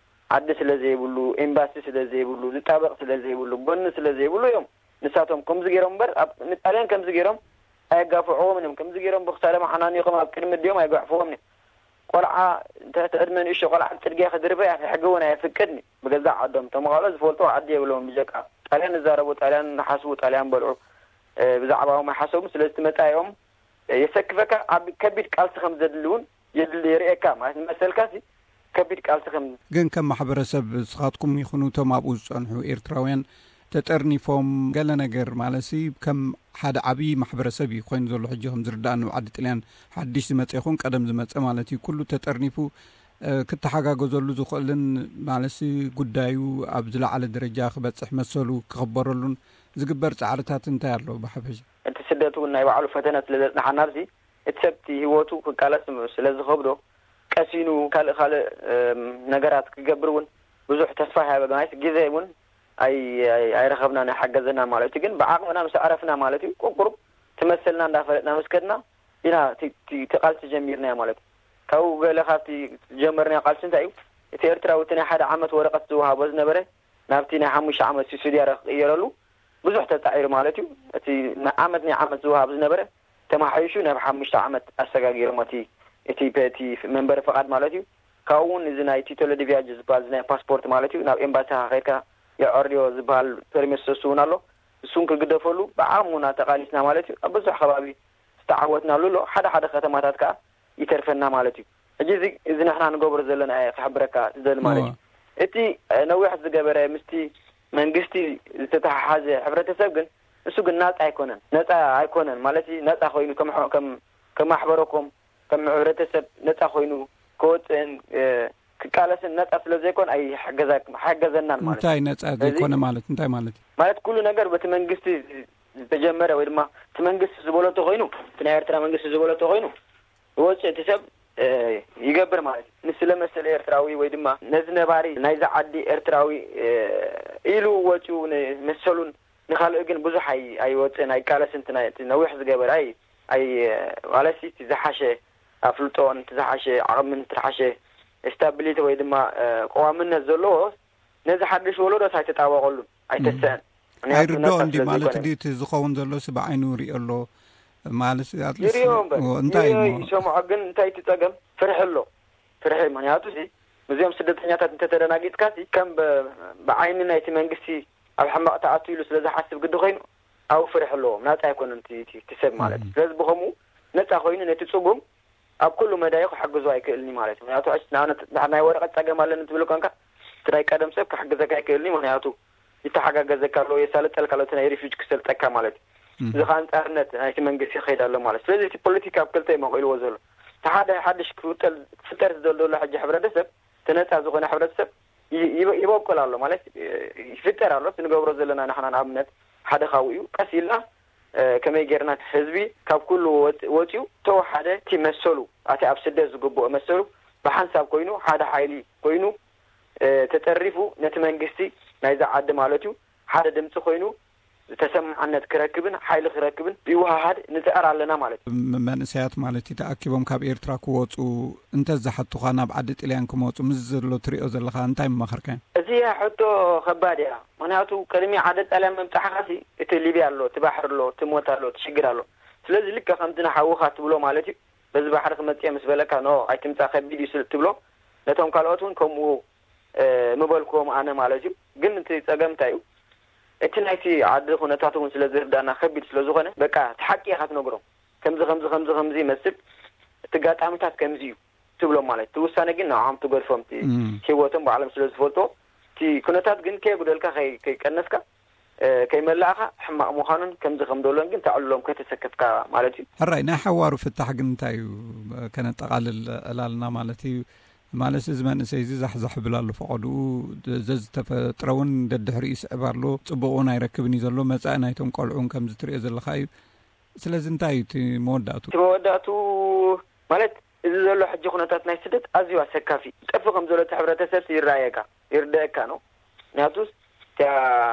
ዓዲ ስለ ዘይብሉ፣ ኤምባሲ ስለ ዘይብሉ፣ ዝጣበቕ ስለ ዘይብሉ፣ ጎኒ ስለ ዘይብሉ እዮም። ንሳቶም ከምዚ ገይሮም እምበር፣ ኣብ ንጣልያን ከምዚ ገይሮም ኣየጋፍዕዎምን እዮም። ከምዚ ገይሮም ብኽሳዶም ሓናኒቖም ኣብ ቅድሚ ኣዲኦም ኣይገሕፍዎምን እዮም። ቆልዓ፣ እንተ እቲ ዕድመ ንእሽቶ ቆልዓ ኣብ ጽርግያ ክድርበ ኣብ ሕጊ እውን ኣየፍቅድን እዩ። ብገዛእ ዓዶም፣ እቶም ካልኦት ዝፈልጥዎ ዓዲ የብሎምን። ብጀካ ጣልያን ዝዛረቡ፣ ጣልያን ዝሓስቡ፣ ጣልያን በልዑ፣ እ፣ ብዛዕባኦም ኣይሓሰቡን። ስለዚ እቲ መጻኢኦም፣ እ፣ የሰክፈካ። ዓቢ ከቢድ ቃልሲ ከም ዘድሊ እውን የድሊ፣ የርእየካ። ማለት ንመሰልካ ሲ ከቢድ ቃልሲ ከም ግን ከም ማሕበረሰብ ንስኻትኩም ይኹኑ እቶም ኣብኡ ዝጸንሑ ኤርትራውያን ተጠርኒፎም ገለ ነገር ማለትሲ ከም ሓደ ዓብዪ ማሕበረሰብ እዩ ኮይኑ ዘሎ። ሕጂ ከም ዝርዳእኒ ኣብ ዓዲ ጥልያን ሓድሽ ዝመጸ ይኹን ቀደም ዝመጸ ማለት እዩ፣ ኩሉ ተጠርኒፉ፣ እ፣ ክተሓጋገዘሉ ዝኽእልን ማለትሲ ጉዳዩ ኣብ ዝለዓለ ደረጃ ክበጽሕ መሰሉ ክኽበረሉን ዝግበር ጻዕርታት እንታይ ኣሎ ብሓፈሻ? እቲ ስደት እውን ናይ ባዕሉ ፈተነ ስለ ዘጽንሓና ኣብዚ እቲ ሰብ እቲ ህይወቱ ክቃለስ ስለ ዝኸብዶ ቀሲኑ ካልእ ካልእ፣ እም፣ ነገራት ክገብር እውን ብዙሕ ተስፋ ይሃበ። ግናይስ ግዜ እውን ኣይ-፣ ኣይ-፣ ኣይረኸብናን ኣይሓገዘናን ማለት እዩ። ግን ብዓቕምና ምስ ኣዕረፍና ማለት እዩ፣ ቁሩብ ትመሰልና እንዳፈለጥና ምስ ከድና ኢና እቲ፣ እቲ፣ እቲ ቃልሲ ጀሚርናዮ ማለት እዩ። ካብኡ ገለ ካብቲ ዝጀመርናዮ ቃልሲ እንታይ እዩ? እቲ ኤርትራዊ እቲ ናይ ሓደ ዓመት ወረቐት ዝወሃቦ ዝነበረ ናብቲ ናይ ሓሙሽተ ዓመት ሲሱዲያረ ክቕየረሉ ብዙሕ ተጻዒሩ ማለት እዩ። እቲ ን-፣ ዓመት ናይ ዓመት ዝወሃብ ዝነበረ ተማሓይሹ ናብ ሓሙሽተ ዓመት ኣሰጋጊሮም እቲ፣ እቲ፣ እቲ መንበሪ ፈቓድ ማለት እዩ። ካብኡ እውን እዚ ናይ ቲቶሎ ዲ ቪያጅ ዝበሃል እዚ ናይ ፓስፖርት ማለት እዩ፣ ናብ ኤምባሲኻ ከይድካ የዐርዮ ዝበሃል ፐርሚት ሰሱ እውን ኣሎ። እሱን ክግደፈሉ ብዓቕምና ተቓሊስና ማለት እዩ። ኣብ ብዙሕ ከባቢ ዝተዓወትናሉ ኣሎ። ሓደ ሓደ ከተማታት ከኣ ይተርፈና ማለት እዩ። ሕጂ እዚ፣ እዚ ንሕና ንገብሮ ዘለና እየ ክሕብረካ ዝደሊ ማለት እዩ። እዋ። እቲ፣ እ፣ ነዊሕ ዝገበረ ምስቲ መንግስቲ ዝተተሓሓዘ ሕብረተሰብ ግን፣ እሱ ግን ናጻ ኣይኮነን። ነጻ ኣይኮነን ማለት እዩ፣ ነጻ ኮይኑ ከም ሕ-፣ ከም፣ ከም ማሕበረኮም፣ ከም ሕብረተሰብ ነጻ ኮይኑ ክወጽእን፣ እ፣ ክቃለስን ነጻ ስለ ዘይኮን ኣይሕገዛ-፣ ኣይሕገዘናን ማለት እዩ። እንታይ ነጻ ስለዚ ዘይኮነ ማለት እንታይ ማለት እዩ? ማለት ኩሉ ነገር በቲ መንግስቲ ዝተጀመረ ወይ ድማ እቲ መንግስቲ ዝበሎ እንተኾይኑ፣ እቲ ናይ ኤርትራ መንግስቲ ዝበሎ እንተኾይኑ፣ ዝወጽእ እቲ ሰብ ይገብር ማለት እዩ። ንስለ መሰለ ኤርትራዊ ወይ ድማ ነዚ ነባሪ ናይዚ ዓዲ ኤርትራዊ ኢሉ ወፂኡ ንመሰሉን ንኻልእ ግን ብዙሕ ኣይወፅእን፣ ኣይቃለስን። እቲ ነዊሕ ዝገበረ ኣይ ኣይ ዋላሲ እቲ ዝሓሸ ኣፍልጦን እቲ ዝሓሸ ዓቕምን እቲ ዝሓሸ ስታቢሊቲ ወይ ድማ ቀዋምነት ዘለዎ ነዚ ሓድሽ ወለዶስ ኣይተጣበቐሉን፣ ኣይተስአን። ኣይርድኦ እንዲ ማለት እንዲ እቲ ዝኸውን ዘሎ ሲ ብዓይኑ ይሪኦ ኣሎ ማለት ኣትሊስት ይሪኦ እምበር እንታይ ይሪኦ እሞ ይሰምዖ። ግን እንታይ እቲ ጸገም? ፍርሒ ኣሎ። ፍርሒ ምክንያቱ ሲ ምስዚኦም ስደተኛታት እንተተደናጊጥካ ሲ ከም ብ- ብዓይኒ ናይቲ መንግስቲ ኣብ ሕማቕ ተኣቱ ኢሉ ስለ ዝሓስብ ግዲ ኮይኑ ኣብኡ ፍርሒ ኣለዎም። ናጻ ኣይኮነን እቲ- እቲ እቲ ሰብ ማለት እዩ። ስለዚ ብኸምኡ ነጻ ኮይኑ ነቲ ጽጉም ኣብ ኩሉ መዳዩ ክሕግዞ ኣይክእልን እዩ ማለት እዩ። ምክንያቱ ሕጂ ንኣብነት ንሕና ናይ ወረቐት ጸገም ኣለኒ ትብል ኮንካ እቲ ናይ ቀደም ሰብ ክሕግዘካ ኣይክእልን እዩ። ምክንያቱ ይተሓጋገዘካ ኣሎ፣ የሳልጠልካ ኣሎ፣ እቲ ናይ ሪፊጅ ክሰልጠካ ማለት እዩ። እዚ ከዓ ኣንጻርነት ናይቲ መንግስቲ ይኸይድ ኣሎ ማለት። ስለዚ እቲ ፖለቲካ ኣብ ክልተ እዩ መቂልዎ ዘሎ። እቲ ሓደ ሓድሽ ክፍጠር ዝደል ዘሎ ሕጂ ሕብረተሰብ፣ እቲ ነጻ ዝኾነ ሕብረተሰብ ይ- ይበ- ይበቁል ኣሎ ማለት ይፍጠር ኣሎ። እቲ ንገብሮ ዘለና ንሕና ንኣብነት ሓደ ካብኡ እዩ። ቀስ ኢልና ከመይ ጌርና ህዝቢ ካብ ኩሉ ወፂኡ ተወሓደ እቲ መሰሉ ኣቲ ኣብ ስደት ዝግብኦ መሰሉ ብሓንሳብ ኮይኑ ሓደ ሓይሊ ኮይኑ ተጠሪፉ ነቲ መንግስቲ ናይዛ ዓዲ ማለት እዩ ሓደ ድምፂ ኮይኑ ተሰማዕነት ክረክብን ሓይሊ ክረክብን ይወሃሃድ ንፅዕር ኣለና ማለት እዩ። መንእሰያት ማለት እዩ ተኣኪቦም ካብ ኤርትራ ክወፁ እንተዝሓቱኻ ናብ ዓዲ ጥልያን ክመፁ ምስ ዘሎ ትሪኦ ዘለኻ እንታይ ምመኸርካዮም? እዚኣ ሕቶ ከባድ እያ። ምክንያቱ ቅድሚ ዓዲ ጣልያን ምምፃሕኻሲ እቲ ሊብያ ኣሎ፣ እቲ ባሕሪ ኣሎ፣ እቲ ሞት ኣሎ፣ እቲ ሽግር ኣሎ። ስለዚ ልክዕ ከምቲ ንሓውኻ ትብሎ ማለት እዩ፣ በዚ ባሕሪ ክመፅእ እየ ምስ በለካ ኖ ኣይትምፃእ ከቢድ እዩ ስል ትብሎ፣ ነቶም ካልኦት እውን ከምኡ ምበልክዎም ኣነ ማለት እዩ። ግን እቲ ፀገም እንታይ እዩ? እቲ ናይቲ ዓዲ ኩነታት እውን ስለ ዝርዳና ከቢድ ስለ ዝኾነ በቃ እቲ ሓቂ ኢኻ ትነግሮም። ከምዚ ከምዚ ከምዚ ከምዚ ይመስል፣ እቲ ጋጣሚታት ከምዚ እዩ ትብሎም ማለት እቲ ውሳነ ግን ንዓም ትገድፎም እቲ ህይወቶም ባዕሎም ስለ ዝፈልጦ እቲ ኩነታት ግን ከየጉደልካ ከይቀነስካ ከይመላእካ ሕማቕ ምዃኑን ከምዚ ከም ደሎን ግን ተዕልሎም ከተሰከፍካ ማለት እዩ። ሕራይ ናይ ሓዋሩ ፍታሕ ግን እንታይ እዩ? ከነጠቓልል ዕላልና ማለት እዩ። ማለት እዚ መንእሰይ እዚ ዛሕዛሕ ይብል ኣሎ ፈቐድኡ ዘዝተፈጥረ እውን ደድሕሪኡ ይስዕብ ኣሎ። ፅቡቕ እውን ኣይረክብን እዩ ዘሎ። መፃኢ ናይቶም ቆልዑ እውን ከምዚ ትሪኦ ዘለኻ እዩ። ስለዚ እንታይ እዩ እቲ መወዳእቱ? እቲ መወዳእቱ ማለት እዚ ዘሎ ሕጂ ኩነታት ናይ ስደት ኣዝዩ ኣሰካፊ እዩ። ጠፍእ ከም ዘሎ እቲ ሕብረተሰብ ይረኣየካ ይርደአካ ነው። ምክንያቱ እታ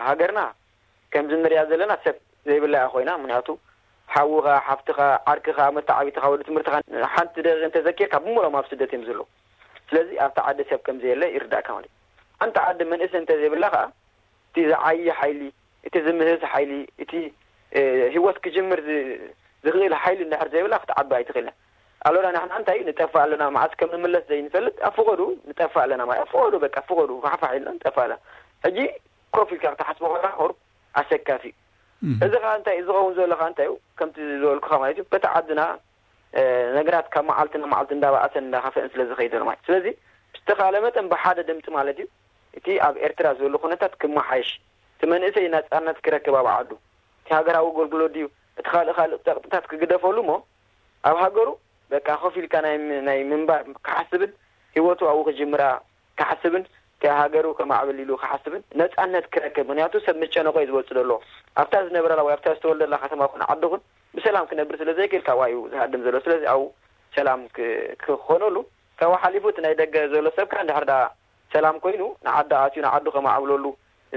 ሃገርና ከምዚ ንሪኣ ዘለና ሰብ ዘይብላ እያ ኮይና። ምክንያቱ ሓውኻ ሓፍትኻ ዓርክኻ መተዓቢትኻ ወዲ ትምህርትኻ ሓንቲ ደቂቕ እንተዘኪርካ ብምሎም ኣብ ስደት እዮም ዘለዉ። ስለዚ ኣብቲ ዓዲ ሰብ ከም ዘየለ ይርዳእካ ማለት እዩ። ሓንቲ ዓዲ መንእሰይ እንተዘይብላ ከዓ እቲ ዝዓይ ሓይሊ እቲ ዝምህዝ ሓይሊ እቲ ህይወት ክጅምር ዝኽእል ሓይሊ እንድሕር ዘይብላ ክትዓቢ ኣይትኽእልን። ኣሎና ንሕና እንታይ ንጠፋ ኣለና መዓስ ከም ንምለስ ዘይንፈልጥ ኣብ ፍቐዱ ንጠፋ ኣለና ማለት ኣብ ፍቐዱ በቃ ፍቐዱ ፋሕፋሕ ኢልና ንጠፋ ኣለና። ሕጂ ኮፍ ኢልካ ክትሓስቦ ከለካ ቁሩብ ኣሰካፊ እዩ። እዚ ከዓ እንታይ ዝኸውን ዘሎ ከዓ እንታይ እዩ ከምቲ ዝበልኩካ ማለት እዩ በቲ ዓድና ነገራት ካብ መዓልቲ ናብ መዓልቲ እንዳባኣሰን እንዳኸፍአን ስለ ዝኸይድ ዘሎ ማለት ስለዚ ብዝተኻለ መጠን ብሓደ ድምፂ ማለት እዩ እቲ ኣብ ኤርትራ ዘሎ ኩነታት ክመሓየሽ እቲ መንእሰይ ናፃነት ክረክብ ኣብ ዓዱ እቲ ሃገራዊ ኣገልግሎት ድዩ እቲ ካልእ ካልእ ፀቕጥታት ክግደፈሉ እሞ ኣብ ሃገሩ በቃ ኮፍ ኢልካ ናይ ምንባር ክሓስብን ህይወቱ ኣብኡ ክጅምራ ክሓስብን እቲ ሃገሩ ከማዕብል ኢሉ ክሓስብን ነፃነት ክረክብ ምክንያቱ ሰብ ምስ ጨነቆ እዩ ዝወፅእ ዘሎ ኣብታ ዝነብረላ ወይ ኣብታ ዝተወልደላ ከተማ ኩን ዓዲ ኩን ብሰላም ክነብር ስለ ዘይክእል ካብኣ እዩ ዝሃድም ዘሎ ስለዚ ኣብኡ ሰላም ክኾነሉ ካብኡ ሓሊፉ እቲ ናይ ደገ ዘሎ ሰብ ከዓ እንድሕር ዳ ሰላም ኮይኑ ንዓዲ ኣትዩ ንዓዱ ከማዕብለሉ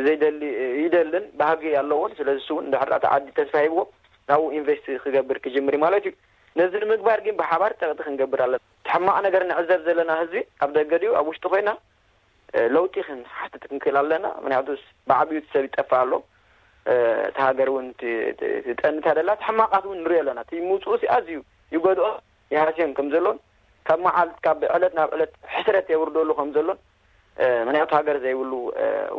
ዘይደሊ ይደልን ባህጊ ኣለዎን ስለዚ እሱ እውን እንድሕር እቲ ዓዲ ተስፋ ሂብዎ ናብኡ ኢንቨስት ክገብር ክጅምር እዩ ማለት እዩ ነዚ ንምግባር ግን ብሓባር ፀቕጢ ክንገብር ኣለና እቲ ሕማቕ ነገር ንዕዘብ ዘለና ህዝቢ ኣብ ደገ ድዩ ኣብ ውሽጢ ኮይና ለውጢ ክንሓትት ክንክእል ኣለና ምክንያቱ ብዓብዩ ሰብ ይጠፍእ ኣሎ እቲ ሃገር እውን ትጠንታ ደላ እቲ ሕማቓት እውን ንሪኦ ኣለና እቲ ምውፅኡ ኣዝዩ ይጎድኦ ይሃስዮም ከም ዘሎን ካብ መዓልት ካብ ዕለት ናብ ዕለት ሕስረት የውርደሉ ከም ዘሎን ምክንያቱ ሃገር ዘይብሉ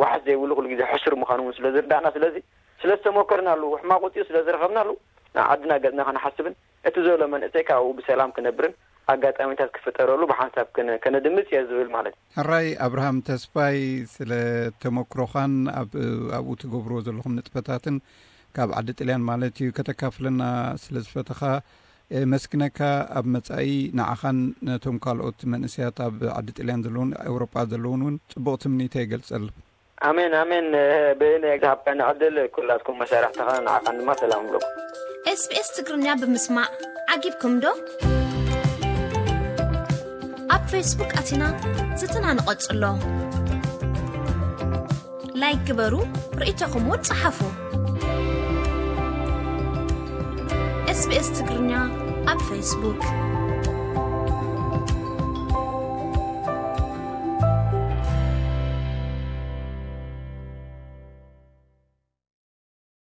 ዋሕስ ዘይብሉ ኩሉ ግዜ ሕሱር ምዃኑ እውን ስለ ዝርዳእና ስለዚ ስለ ዝተሞከርናሉ ሕማቕ ውፅኡ ስለ ዝረኸብናሉ ንዓድና ገፅና ከነሓስብን እቲ ዘሎ መንእሰይ ካብኡ ብሰላም ክነብርን ኣጋጣሚታት ክፍጠረሉ ብሓንሳብ ከነድምፅ እየ ዝብል ማለት እዩ። ሕራይ ኣብርሃም ተስፋይ ስለ ተመክሮኻን ኣብኡ ትገብርዎ ዘለኹም ንጥፈታትን ካብ ዓዲ ጥልያን ማለት እዩ ከተካፍለና ስለ ዝፈተኻ የመስግነካ። ኣብ መጻኢ ንዓኻን ነቶም ካልኦት መንእሰያት ኣብ ዓዲ ጥልያን ዘለውን ኤውሮጳ ዘለውን እውን ጽቡቕ ትምኒተይ እገልጸልኩም። ኣሜን ኣሜን። ብእኔ ዝሃብካኒ ዕድል ኩላትኩም መሳርሕትኻ ንዓኻን ድማ ሰላም እብለኩም። SBS ትግርኛ ብምስማዕ ዓጊብኩም ዶ? ኣብ ፌስቡክ ኣቲና ዝትና ንቐጽሎ። ላይክ ግበሩ፣ ርእይቶኹም እውን ጸሓፉ። SBS ትግርኛ ኣብ ፌስቡክ።